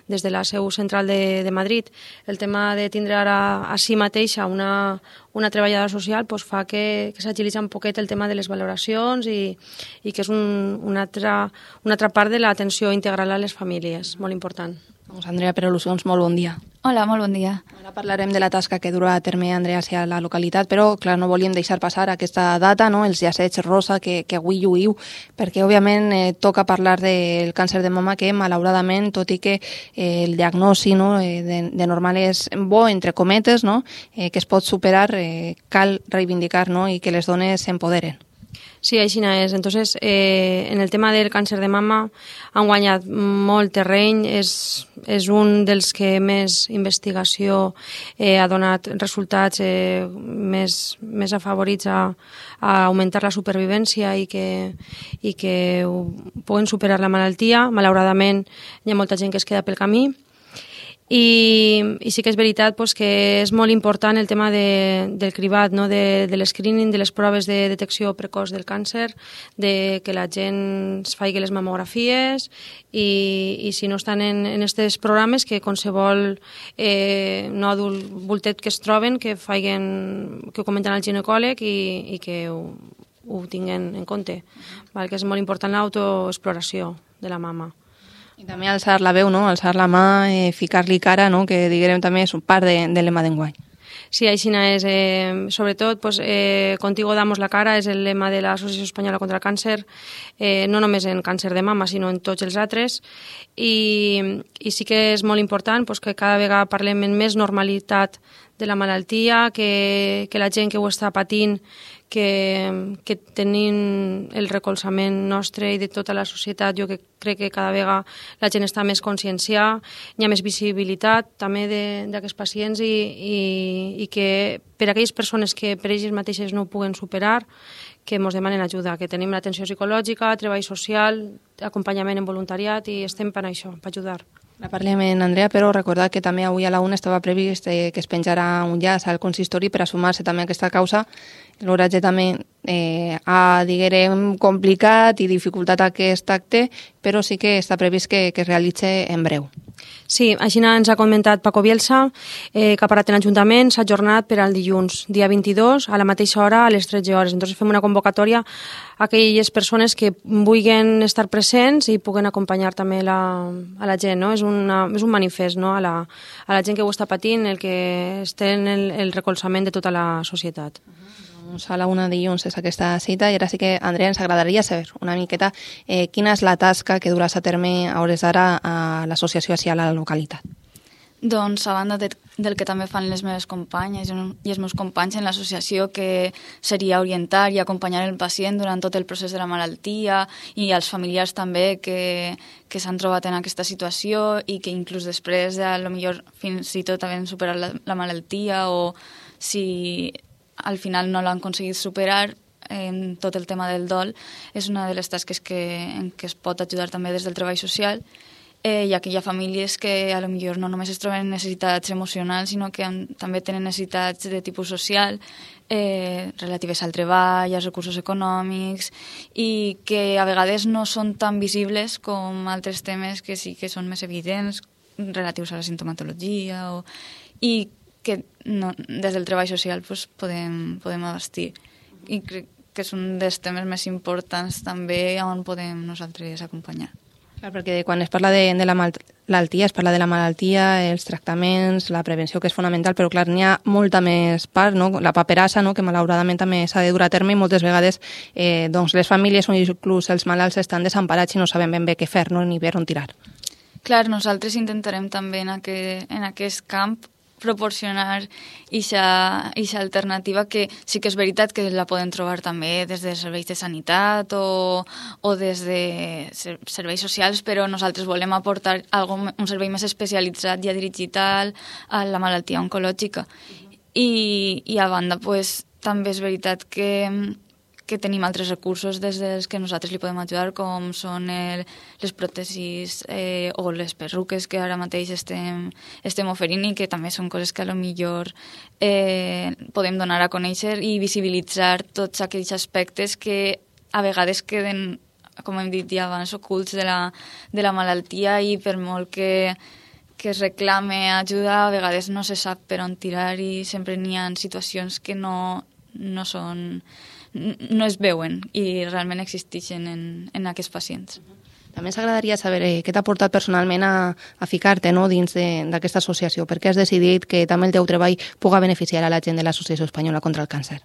des de la seu central de, de Madrid, el tema de tindre ara a si mateixa una, una treballadora social pues, fa que, que s'agilitza un poquet el tema de les valoracions i, i que és un, una, altra, una altra part de l'atenció integral a les famílies, molt important. Doncs Andrea Perolucions, molt bon dia. Hola, molt bon dia. Ara parlarem de la tasca que durà a terme Andrea hacia la localitat, però clar, no volíem deixar passar aquesta data, no? Els llacets rosa que, que avui lluïu, perquè òbviament eh, toca parlar del càncer de mama que malauradament, tot i que eh, el diagnòstic no, eh, de, de normal és bo, entre cometes, no? eh, que es pot superar, eh, cal reivindicar no? i que les dones s'empoderen. Sí, així és. Entonces, eh, en el tema del càncer de mama han guanyat molt terreny, és, és un dels que més investigació eh, ha donat resultats eh, més, més afavorits a, a augmentar la supervivència i que, i que puguen superar la malaltia. Malauradament, hi ha molta gent que es queda pel camí. I, i sí que és veritat pues, que és molt important el tema de, del cribat, no? de, de l'escreening, de les proves de detecció precoç del càncer, de que la gent es faci les mamografies i, i si no estan en aquests programes que qualsevol eh, no adult voltet que es troben que, facin, que ho comenten al ginecòleg i, i que ho, ho tinguin en compte, val? Que és molt important l'autoexploració de la mama. I també alçar la veu, no? Alçar la mà, eh, ficar-li cara, no? Que diguem també és un part de, del lema d'enguany. Sí, així és. Eh, sobretot, pues, eh, Contigo damos la cara és el lema de l'Associació Espanyola contra el Càncer, eh, no només en càncer de mama, sinó en tots els altres. I, i sí que és molt important pues, que cada vegada parlem en més normalitat de la malaltia, que, que la gent que ho està patint que, que tenint el recolzament nostre i de tota la societat, jo que crec que cada vegada la gent està més conscienciada, hi ha més visibilitat també d'aquests pacients i, i, i que per a aquelles persones que per elles mateixes no ho puguen superar, que ens demanen ajuda, que tenim l'atenció psicològica, treball social, acompanyament en voluntariat i estem per això, per ajudar. La parlem en Andrea, però recordar que també avui a la una estava previst eh, que es penjarà un llaç al consistori per a sumar-se també a aquesta causa. L'oratge també eh, ha, diguem, complicat i dificultat aquest acte, però sí que està previst que, que es realitzi en breu. Sí, així ens ha comentat Paco Bielsa, eh, que ha parat en l'Ajuntament, s'ha ajornat per al dilluns, dia vint-i-dos, a la mateixa hora, a les tretze hores. Entonces fem una convocatòria a aquelles persones que vulguin estar presents i puguen acompanyar també la, a la gent, no? És, una, és un manifest, no? a, la, a la gent que ho està patint, el que esté en el, el recolzament de tota la societat. Doncs a la una dilluns és aquesta cita i ara sí que, Andrea, ens agradaria saber una miqueta eh, quina és la tasca que duràs a terme a hores d'ara a l'associació així a la localitat. Doncs a banda de, del que també fan les meves companyes i els meus companys en l'associació, que seria orientar i acompanyar el pacient durant tot el procés de la malaltia, i als familiars també que, que s'han trobat en aquesta situació i que inclús després, a lo millor fins i tot havent superat la, la malaltia, o si al final no l'han aconseguit superar, en tot el tema del dol, és una de les tasques que, en què es pot ajudar també des del treball social, eh, ja que hi ha famílies que a lo millor no només es troben necessitats emocionals, sinó que han, també tenen necessitats de tipus social, eh, relatives al treball, als recursos econòmics, i que a vegades no són tan visibles com altres temes que sí que són més evidents, relatius a la sintomatologia, o, i que no, des del treball social pues, podem, podem abastir. I crec que és un dels temes més importants també on podem nosaltres acompanyar. Clar, perquè quan es parla de, de la malaltia, es parla de la malaltia, els tractaments, la prevenció, que és fonamental, però clar, n'hi ha molta més part, no? La paperassa, no? Que malauradament també s'ha de dur a terme, i moltes vegades eh, doncs les famílies o inclús els malalts estan desemparats i no saben ben bé què fer, no? Ni per on tirar. Clar, nosaltres intentarem també en, aquest, en aquest camp proporcionar aquesta alternativa, que sí que és veritat que la poden trobar també des de serveis de sanitat o, o des de serveis socials, però nosaltres volem aportar algo, un servei més especialitzat ja dirigit a la malaltia oncològica. I, i a banda, pues, també és veritat que que tenim altres recursos des dels que nosaltres li podem ajudar, com són el, les pròtesis eh, o les perruques que ara mateix estem, estem oferint, i que també són coses que a lo millor eh, podem donar a conèixer i visibilitzar tots aquells aspectes que a vegades queden, com hem dit ja abans, ocults de la, de la malaltia, i per molt que, que es reclame ajuda, a vegades no se sap per on tirar, i sempre n'hi ha situacions que no, no són... no es veuen i realment existeixen en, en aquests pacients. També ens agradaria saber eh, què t'ha portat personalment a, a ficar-te, no, dins d'aquesta associació. Per què has decidit que també el teu treball puga beneficiar a la gent de l'Associació Espanyola contra el Càncer?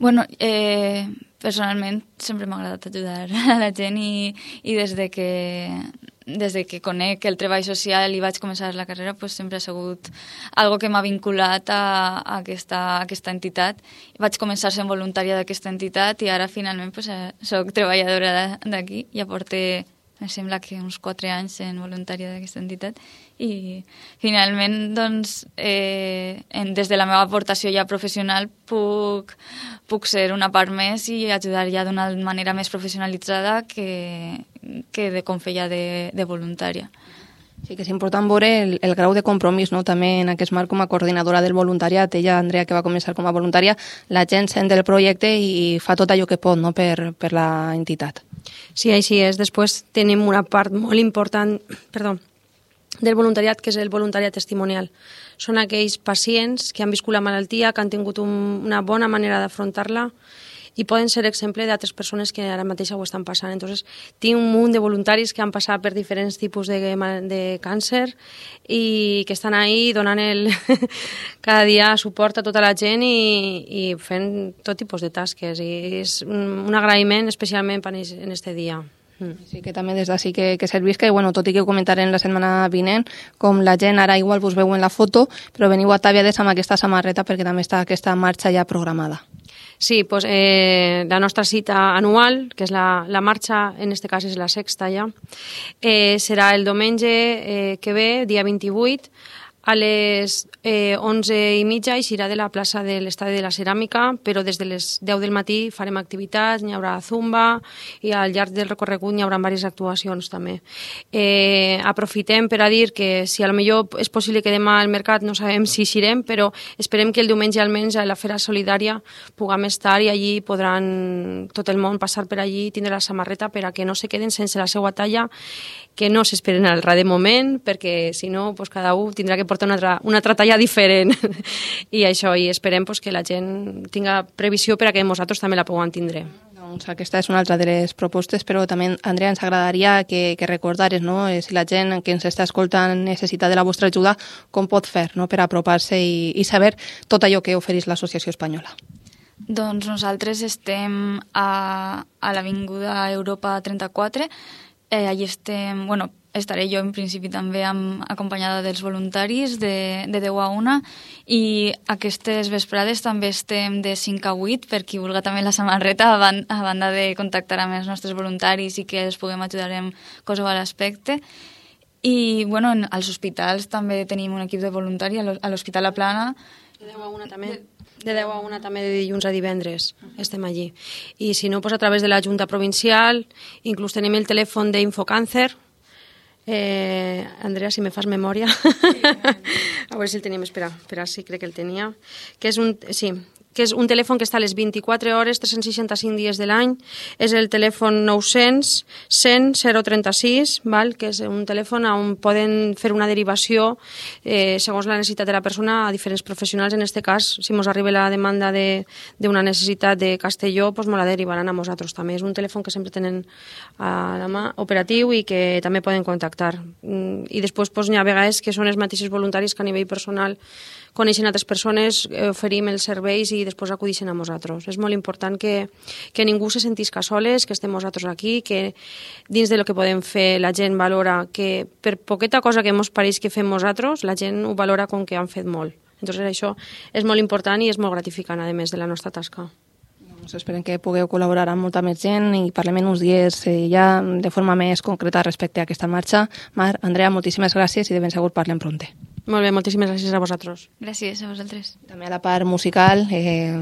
Bueno, eh, personalment sempre m'ha agradat ajudar a la gent, i, i des de que des de que conec el treball social i vaig començar la carrera, pues, sempre ha sigut algo que m'ha vinculat a, a, aquesta, a aquesta entitat. Vaig començar sent voluntària d'aquesta entitat i ara finalment pues, soc treballadora d'aquí. Ja porté, em sembla que uns quatre anys sent voluntària d'aquesta entitat, i finalment doncs, eh, en, des de la meva aportació ja professional puc, puc ser una part més i ajudar ja d'una manera més professionalitzada que, que de com feia de, de voluntària. Sí que és important veure el, el grau de compromís, no? També en aquest marc com a coordinadora del voluntariat. Ella, Andrea, que va començar com a voluntària, la gent sent del projecte i fa tot allò que pot, no? per, per la entitat. Sí, així és. Després tenim una part molt important, perdó, del voluntariat, que és el voluntariat testimonial. Són aquells pacients que han viscut la malaltia, que han tingut un, una bona manera d'afrontar-la, i poden ser exemple d'altres persones que ara mateix ho estan passant. Entonces, tinc un munt de voluntaris que han passat per diferents tipus de, de càncer i que estan ahí donant el, cada dia suport a tota la gent i, i fent tot tipus de tasques. I és un agraïment especialment en aquest dia. Sí, que també des d'ací que, que servisca, i bueno, tot i que ho comentarem la setmana vinent, com la gent ara igual vos veu en la foto, però veniu ataviades amb aquesta samarreta perquè també està aquesta marxa ja programada. Sí, pues, eh, la nostra cita anual, que és la, la marxa, en aquest cas és la sexta ja, eh, serà el diumenge eh, que ve, dia vint-i-vuit, a les eh, onze i mitja eixirà de la plaça de l'Estadi de la Ceràmica, però des de les deu del matí farem activitats, n'hi haurà zumba i al llarg del recorregut n'hi haurà diverses actuacions també. Eh, aprofitem per a dir que si a lo millor és possible que demà al mercat no sabem si eixirem, però esperem que el diumenge almenys a la Fera Solidària puguem estar i allí podran tot el món passar per allí i tindre la samarreta per a que no se queden sense la seva talla, que no s'esperen al rar de moment, perquè si no pues cada un tindrà que portar una altra, una altra talla diferent. I això, i esperem pues, que la gent tinga previsió per a que nosaltres també la puguem tindre. Doncs aquesta és una altra de les propostes, però també, Andrea, ens agradaria que, que recordares, no? Si la gent que ens està escoltant necessita de la vostra ajuda, com pot fer, no? Per apropar-se i, i saber tot allò que ofereix l'Associació Espanyola. Doncs nosaltres estem a, a l'Avinguda Europa trenta-quatre. Eh, allí estem, bueno, estaré jo en principi també amb, acompanyada dels voluntaris de, de deu a una, i aquestes vesprades també estem de cinc a vuit per qui vulgui també la samarreta, a, ban a banda de contactar amb els nostres voluntaris i que els puguem ajudar en qualsevol aspecte. I bueno, en, als hospitals també tenim un equip de voluntari, a l'Hospital La Plana. De deu a una també. De deu a una també, de dilluns a divendres estem allí. I si no, pues a través de la Junta Provincial, inclús tenim el telèfon d'Infocàncer. Eh, Andrea, si me fas memòria. A veure si el tenim, espera, espera, sí, crec que el tenia. Que és un, sí, que és un telèfon que està a les vint-i-quatre hores, tres cents seixanta-cinc dies de l'any. És el telèfon nou-cents cent zero trenta-sis, val? Que és un telèfon on poden fer una derivació eh, segons la necessitat de la persona a diferents professionals. En aquest cas, si ens arriba la demanda d'una de, necessitat de Castelló, doncs ens la derivaran a nosaltres també. És un telèfon que sempre tenen a la mà operatiu i que també poden contactar. I després doncs, hi ha vegades que són els mateixos voluntaris que a nivell personal coneixen altres persones, oferim els serveis i després acudixen a nosaltres. És molt important que, que ningú se sentisca soles, que estem nosaltres aquí, que dins de lo que podem fer la gent valora que per poqueta cosa que ens pareix que fem nosaltres, la gent ho valora com que han fet molt. Entonces això és molt important i és molt gratificant, a més de la nostra tasca. Doncs esperem que pugueu col·laborar amb molta més gent i parlem en uns dies eh, ja de forma més concreta respecte a aquesta marxa. Mar, Andrea, moltíssimes gràcies i de ben segur parlem pronte. Molt bé, moltíssimes gràcies a vosaltres. Gràcies a vosaltres. També a la part musical, eh,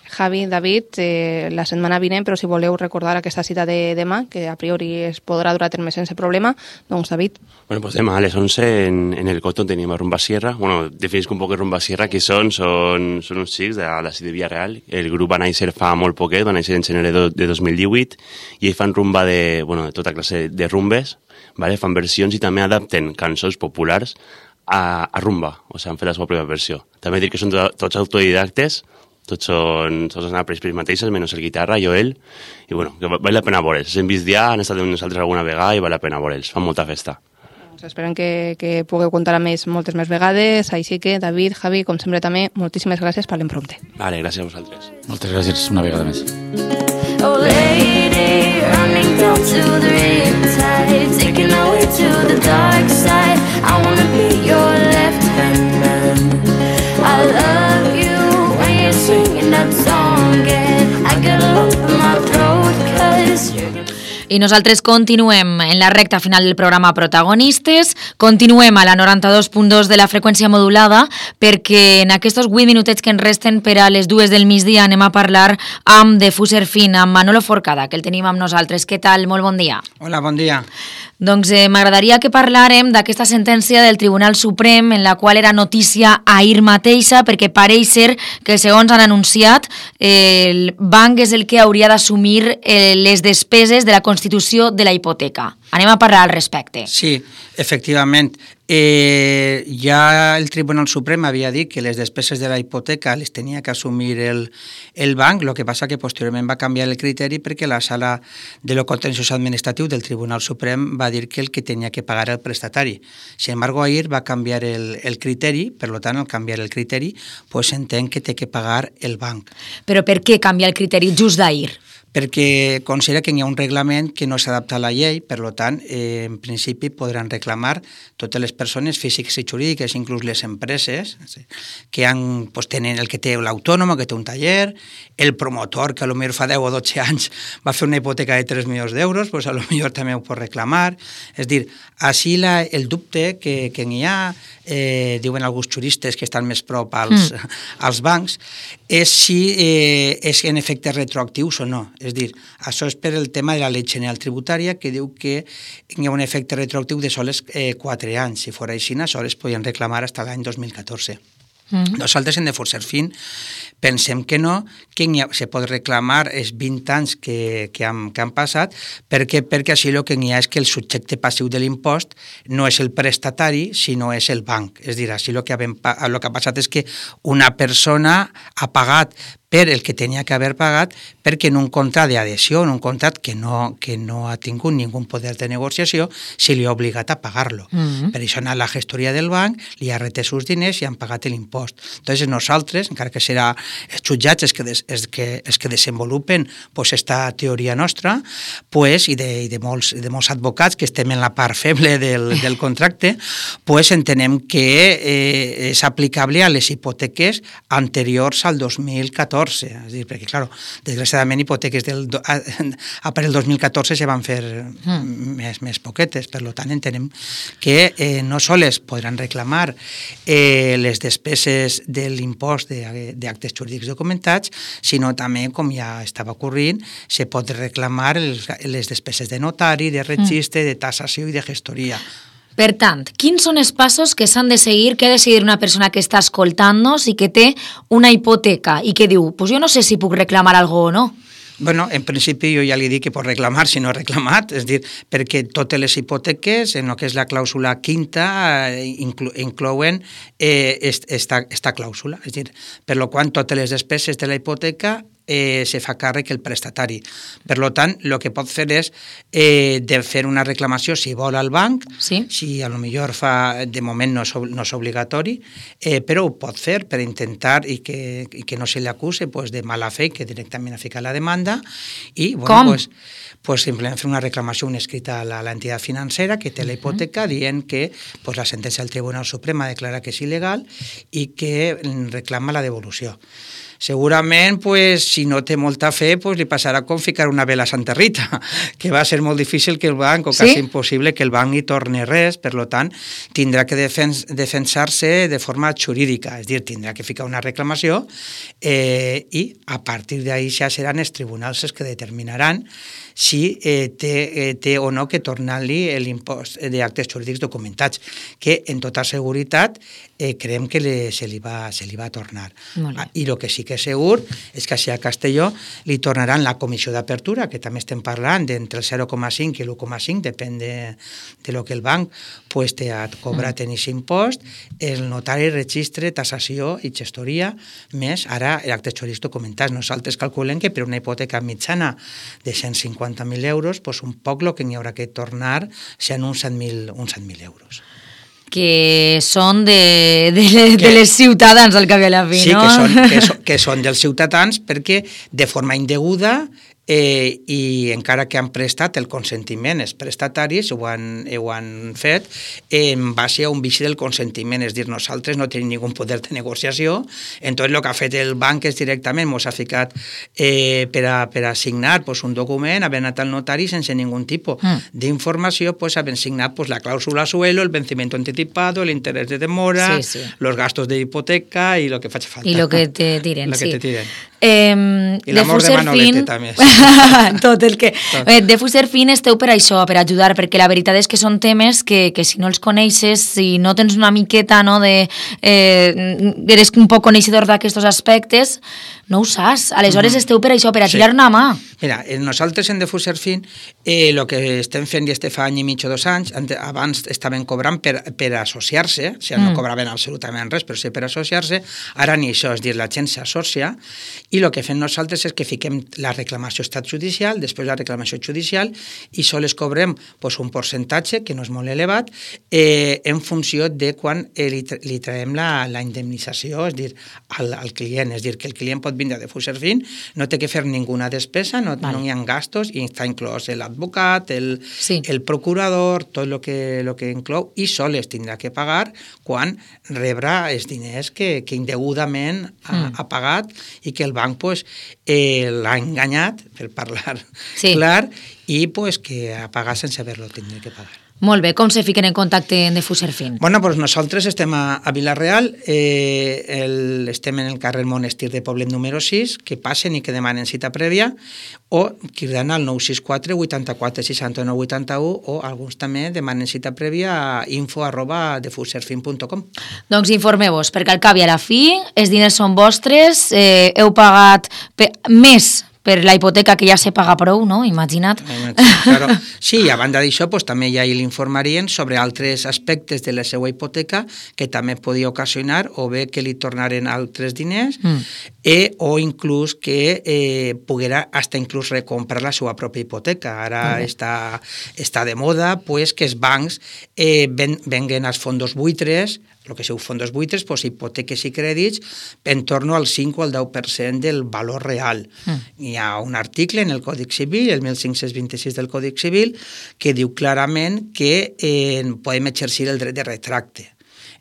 Javi, David, eh, la setmana vinent, però si voleu recordar aquesta cita de demà, que a priori es podrà dur a terme sense problema, doncs David. Bueno, pues demà a les onze en, en el Coto tenim a Rumba Sierra. Bueno, definisc un poc Rumba Sierra, qui són? Són, són uns xics de la ciutat de Villarreal. El grup va néixer fa molt poquet, va néixer en gener de dos mil divuit, i ells fan rumba de, bueno, de tota classe de rumbes, vale? Fan versions i també adapten cançons populars a, a rumba, o sigui, han fet la seva pròpia versió. També dir que són to, tots autodidactes, tots són, tots han après per ells mateixos, menys el guitarra, jo, ell, i bueno, que val la pena veure'ls. Hem vist ja, han estat amb nosaltres alguna vegada i val la pena veure'ls, fan molta festa. Doncs esperem que, que pugueu comptar amb ells moltes més vegades, així que David, Javi, com sempre també, moltíssimes gràcies, parlem prompte. Vale, gràcies a vosaltres. Moltes gràcies una vegada més. Oh lady, running down to the riptide, taking our way to the dark side. I wanna be your left-hand man. I love you when you're singing that song, and I got a lump in my throat 'cause you're gonna... I nosaltres continuem en la recta final del programa Protagonistes, continuem a la noranta-dos punt dos de la freqüència modulada, perquè en aquests vuit minutets que ens resten per a les dues del migdia anem a parlar amb de Fuser Fin, amb Manolo Forcada, que el tenim amb nosaltres. Què tal? Molt bon dia. Hola, bon dia. Doncs eh, m'agradaria que parlàrem d'aquesta sentència del Tribunal Suprem, en la qual era notícia ahir mateixa, perquè pareix ser que, segons han anunciat, eh, el banc és el que hauria d'assumir eh, les despeses de la constitució de la hipoteca. Anem a parlar al respecte. Sí, efectivament. Eh, ja el Tribunal Suprem havia dit que les despeses de la hipoteca les tenia que assumir el, el banc, el que passa que posteriorment va canviar el criteri perquè la sala de lo contenciós administratiu del Tribunal Suprem va dir que el que tenia que pagar el prestatari. Sin embargo, ahir va canviar el, el criteri, per tant, al canviar el criteri, pues entenc que té que pagar el banc. Però per què canvia el criteri just d'ahir? perquè considera que hi ha un reglament que no s'adapta a la llei, per tant, eh, en principi podran reclamar totes les persones físiques i jurídiques, inclús les empreses, que han, pues, tenen el que té l'autònom, que té un taller, el promotor, que potser fa deu o dotze anys va fer una hipoteca de tres milions d'euros, pues, potser també ho pot reclamar. És dir, així la, el dubte que, que n'hi ha, eh, diuen alguns juristes que estan més prop als, mm. als bancs, és si eh, és en efectes retroactius o no. És dir, això és per el tema de la llei general tributària, que diu que hi ha un efecte retroactiu de sols eh, quatre anys. Si fos així, sols podien reclamar fins l'any dos mil catorze. Mm. Nosaltres en de Forserfin pensem que no, que ha, se pot reclamar els vint anys que, que, han, que han passat, perquè, perquè així el que n'hi ha és que el subjecte passiu de l'impost no és el prestatari, sinó és el banc. És dir, així el que, ha, el que ha passat és que una persona ha pagat per el que tenia que haver pagat, perquè en un contracte d'adhesió, en un contracte que no, que no ha tingut ningú poder de negociació, se li ha obligat a pagar-lo. Mm-hmm. Per això ha anat la gestoria del banc, li ha retès els diners i han pagat l'impost. Entonces nosaltres, encara que serà els jutjats els que, des, els que, els que desenvolupen pues, esta teoria nostra, pues, i, de, i de, molts, de molts advocats que estem en la part feble del, del contracte, pues, entenem que eh, és aplicable a les hipoteques anteriors al dos mil catorze. És dir, perquè, clar, desgraciadament, hipoteques del, a, a per el dos mil catorze se van fer mm. més, més poquetes. Per tant, entenem que eh, no sols podran reclamar eh, les despeses de l'impost d'actes jurídics documentats, sinó també, com ja estava ocorrint, se pot reclamar els, les despeses de notari, de registre, mm. de tassació i de gestoria. Per tant, quins són els passos que s'han de seguir, que ha de seguir una persona que està escoltant-nos i que té una hipoteca i que diu, pues jo no sé si puc reclamar alguna cosa o no? Bueno, en principi jo ja li dic que pot reclamar si no ha reclamat, és dir, perquè totes les hipoteques, en el que és la clàusula quinta, inclo, inclouen eh, esta, esta clàusula, és dir, per lo qual totes les despeses de la hipoteca eh, se fa càrrec el prestatari. Per tant, el que pot fer és eh, de fer una reclamació si vol al banc, sí. si a lo millor fa, de moment no és, no és obligatori, eh, però ho pot fer per intentar i que, i que no se li acuse pues, de mala fe, que directament ha ficat la demanda, i bueno, Com? Pues, pues simplement fer una reclamació, una escrita a l'entitat financera que té la hipoteca uh-huh. dient que pues, la sentència del Tribunal Suprem ha declarat que és il·legal i que reclama la devolució. Segurament, pues, si no té molta fe, pues, li passarà com ficar una vela a Santa Rita, que va ser molt difícil que el banc, o quasi sí? impossible que el banc hi torni res, per tant, tindrà que defens, defensar-se de forma jurídica, és dir, tindrà que ficar una reclamació eh, i a partir d'ahí ja seran els tribunals els que determinaran si eh, té, eh, té o no que tornar-li l'impost d'actes jurídics documentats, que en tota seguretat eh, creiem que le, se, li va, se li va tornar. Ah, I el que sí que és segur és que si a Castelló li tornaran la comissió d'apertura, que també estem parlant d'entre el zero coma cinc i l'u coma cinc, depèn de, de lo que el banc pues, te ha cobrat en aquest impost, el notari, registre, tassació i gestoria, més ara actes jurídics documentats. Nosaltres calculem que per una hipoteca mitjana de cent cinquanta mil euros, pues un poc el que n'hi haurà que tornar seran uns set mil euros. Que són de, de, de, de les ciutadans al cap i a la fi, sí, no? Sí, que són, que, són, que són dels ciutadans perquè de forma indeguda eh, i encara que han prestat el consentiment, els prestataris ho han, ho han fet en base a un vici del consentiment, és dir, nosaltres no tenim ningú poder de negociació, entonces el que ha fet el banc és directament, ens ha ficat eh, per, a, per a signar pues, un document, haver anat al notari sense ningú tipus mm. d'informació, pues, haver signat pues, la clàusula suelo, el vencimiento anticipado, el interés de demora, sí, sí. los gastos de hipoteca i lo que faci falta. I lo que te tiren, lo sí. que te tiren. Eh, I l'amor de Manolete, també. Tot el que... Tot. De Fuserfin esteu per això, per ajudar, perquè la veritat és que són temes que, que si no els coneixes, si no tens una miqueta, no, de... Eh, eres un poc coneixedor d'aquests aspectes, no ho saps. Aleshores mm. esteu per això, per a tirar sí. una mà. Mira, nosaltres en de Fuserfin el eh, que estem fent i este fa any i mig o dos anys, abans estaven cobrant per, per associar-se, o sigui, mm. no cobraven absolutament res, però sí per associar-se, ara ni això, és dir, la gent s'associa i el que fem nosaltres és que fiquem la reclamació estat judicial, després la reclamació judicial, i sols cobrem pues, un percentatge, que no és molt elevat, eh, en funció de quan eh, li, li traiem la, la indemnització, és dir, al, al client, és dir, que el client pot vindre de Fuserfin, no té que fer ninguna despesa, no, vale. no hi ha gastos, i està inclòs l'advocat, el, sí. el procurador, tot el que, lo que inclou, i sols tindrà que pagar quan rebrà els diners que, que indegudament ha, mm. ha pagat i que el banc pues, eh, l'ha enganyat, per parlar sí. clar, i pues, que ha pagat sense haver-lo tindre que pagar. Molt bé, com se fiquen en contacte de Fuserfin? Bueno, pues nosaltres estem a, a Vila-real, eh, el, estem en el carrer Monestir de Poblet número sis, que passen i que demanen cita prèvia, o cridant al nou sis quatre vuitanta-quatre seixanta-nou vuitanta-u, o alguns també demanen cita prèvia a info arroba defuserfin punt com. Doncs informeu-vos, perquè al cap i a la fi els diners són vostres, eh, heu pagat pe- més per la hipoteca que ja se paga prou, no? Imagina't. Claro. Sí, i a banda d'això, pues, també ja hi l'informarien sobre altres aspectes de la seva hipoteca que també podia ocasionar o bé que li tornaren altres diners mm. eh, o inclús que eh, poguera hasta inclús recomprar la seva pròpia hipoteca. Ara mm. està, està de moda pues, que els bancs eh, ven, venguen els fondos buitres, el que seu fondos buitres, pues, hipoteques i crèdits en torno al cinc o al deu per cent del valor real. Mm. Hi ha un article en el Còdic Civil, el mil cinc-cents vint-i-sis del Còdic Civil, que diu clarament que eh, podem exercir el dret de retracte.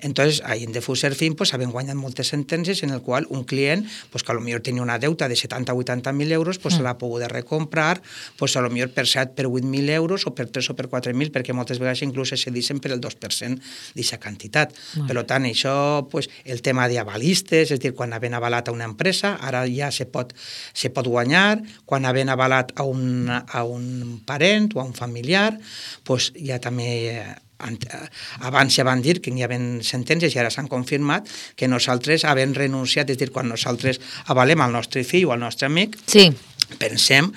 Entonces, ahí en Defuserfin pues, habían guanyat moltes sentències en el qual un client pues, que a lo millor tenia una deuta de setanta o vuitanta mil euros pues, mm. se l'ha pogut recomprar pues, a lo millor per set, per vuit mil euros o per tres o per quatre mil, perquè moltes vegades inclús se cedixen per el dos per cent d'aquesta quantitat. Mm. Per tant, això, pues, el tema d'avalistes, és dir, quan havent avalat a una empresa, ara ja se pot, se pot guanyar, quan havent avalat a un, a un parent o a un familiar, pues, ja també... abans ja van dir que hi havia sentències i ara s'han confirmat que nosaltres havent renunciat, és dir, quan nosaltres avalem al nostre fill o al nostre amic, sí. pensem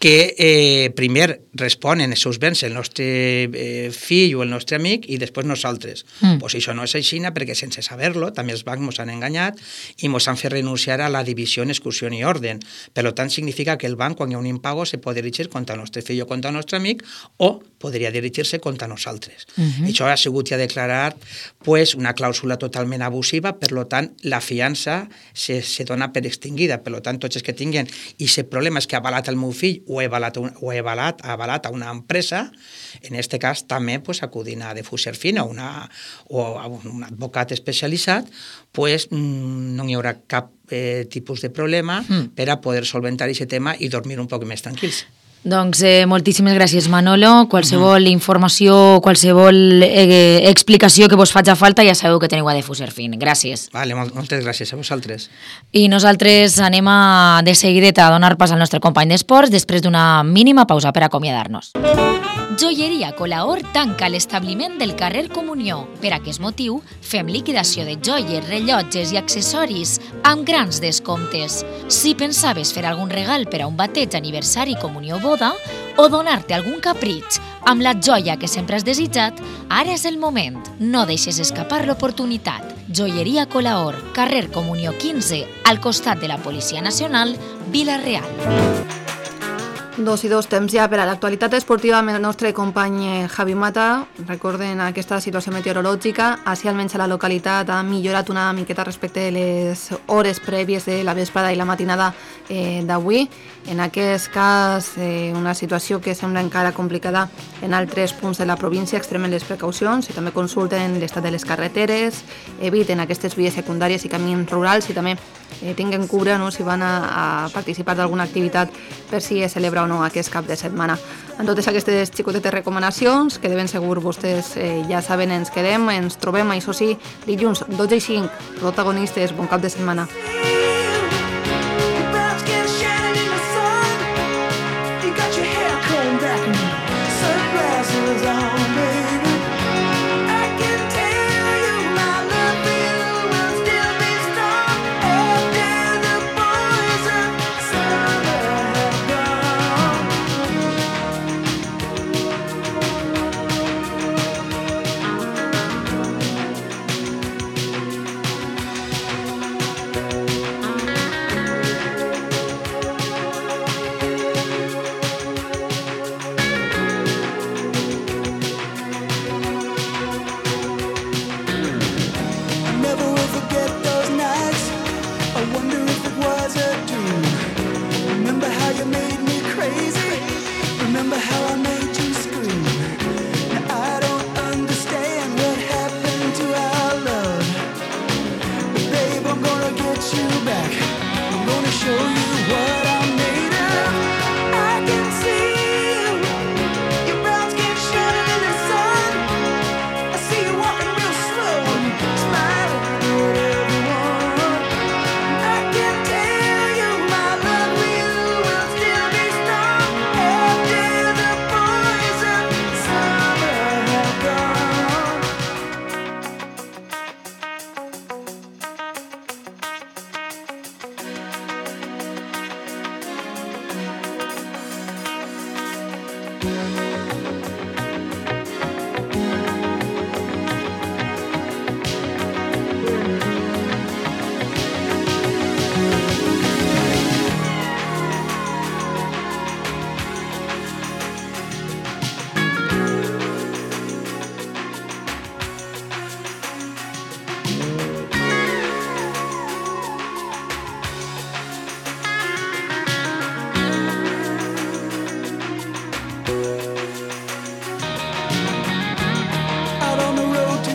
que eh, primer responen els seus béns el nostre eh, fill o el nostre amic i després nosaltres. Mm. Pues això no és així perquè sense saber-lo també els bancs ens han enganyat i ens han fet renunciar a la divisió en exclusió i ordre. Per tant, significa que el banc, quan hi ha un impago, se pot dirigir contra el nostre fill o contra el nostre amic o podria dirigir-se contra nosaltres. Mm-hmm. Això ha sigut ja declarat pues, una clàusula totalment abusiva, per tant, la fiança se, se dona per extingida. Per tant, tots els que tinguin i el problema és que ha avalat el meu fill o he avalat, o he avalat, avalat a una empresa, en aquest cas també pues, acudint a Defuserfin o, una, o a un advocat especialitzat, pues, no hi haurà cap eh, tipus de problema mm. per a poder solventar aquest tema i dormir un poc més tranquils. Doncs eh, moltíssimes gràcies, Manolo. Qualsevol uh-huh. informació, qualsevol eh, explicació que vos faci falta, ja sabeu que teniu a Defuserfin. Gràcies. Vale, moltes gràcies a vosaltres. I nosaltres anem a, de seguideta a donar pas al nostre company d'esports després d'una mínima pausa per acomiadar-nos. Joieria Colaor tanca l'establiment del carrer Comunió. Per aquest motiu, fem liquidació de joies, rellotges i accessoris amb grans descomptes. Si pensaves fer algun regal per a un bateig, aniversari, comunió o boda, o donar-te algun capritx amb la joia que sempre has desitjat, ara és el moment. No deixes escapar l'oportunitat. Joieria Colaor, carrer Comunió quinze, al costat de la Policia Nacional, Vila-real. Dos i dos temps ja per a l'actualitat esportiva amb el nostre company Javi Mata. Recorden aquesta situació meteorològica. Així almenys a la localitat ha millorat una miqueta respecte de les hores prèvies de la vesprada i la matinada eh, d'avui. En aquest cas, eh, una situació que sembla encara complicada en altres punts de la província. Extremen les precaucions i també consulten l'estat de les carreteres, eviten aquestes vies secundàries i camins rurals i també eh, tinguen cura, no?, si van a, a participar d'alguna activitat per si es celebra o no aquest cap de setmana. En totes aquestes xicotetes recomanacions, que de ben segur vostès eh, ja saben, ens quedem, ens trobem, això sí, dilluns dotze i cinc, protagonistes, bon cap de setmana.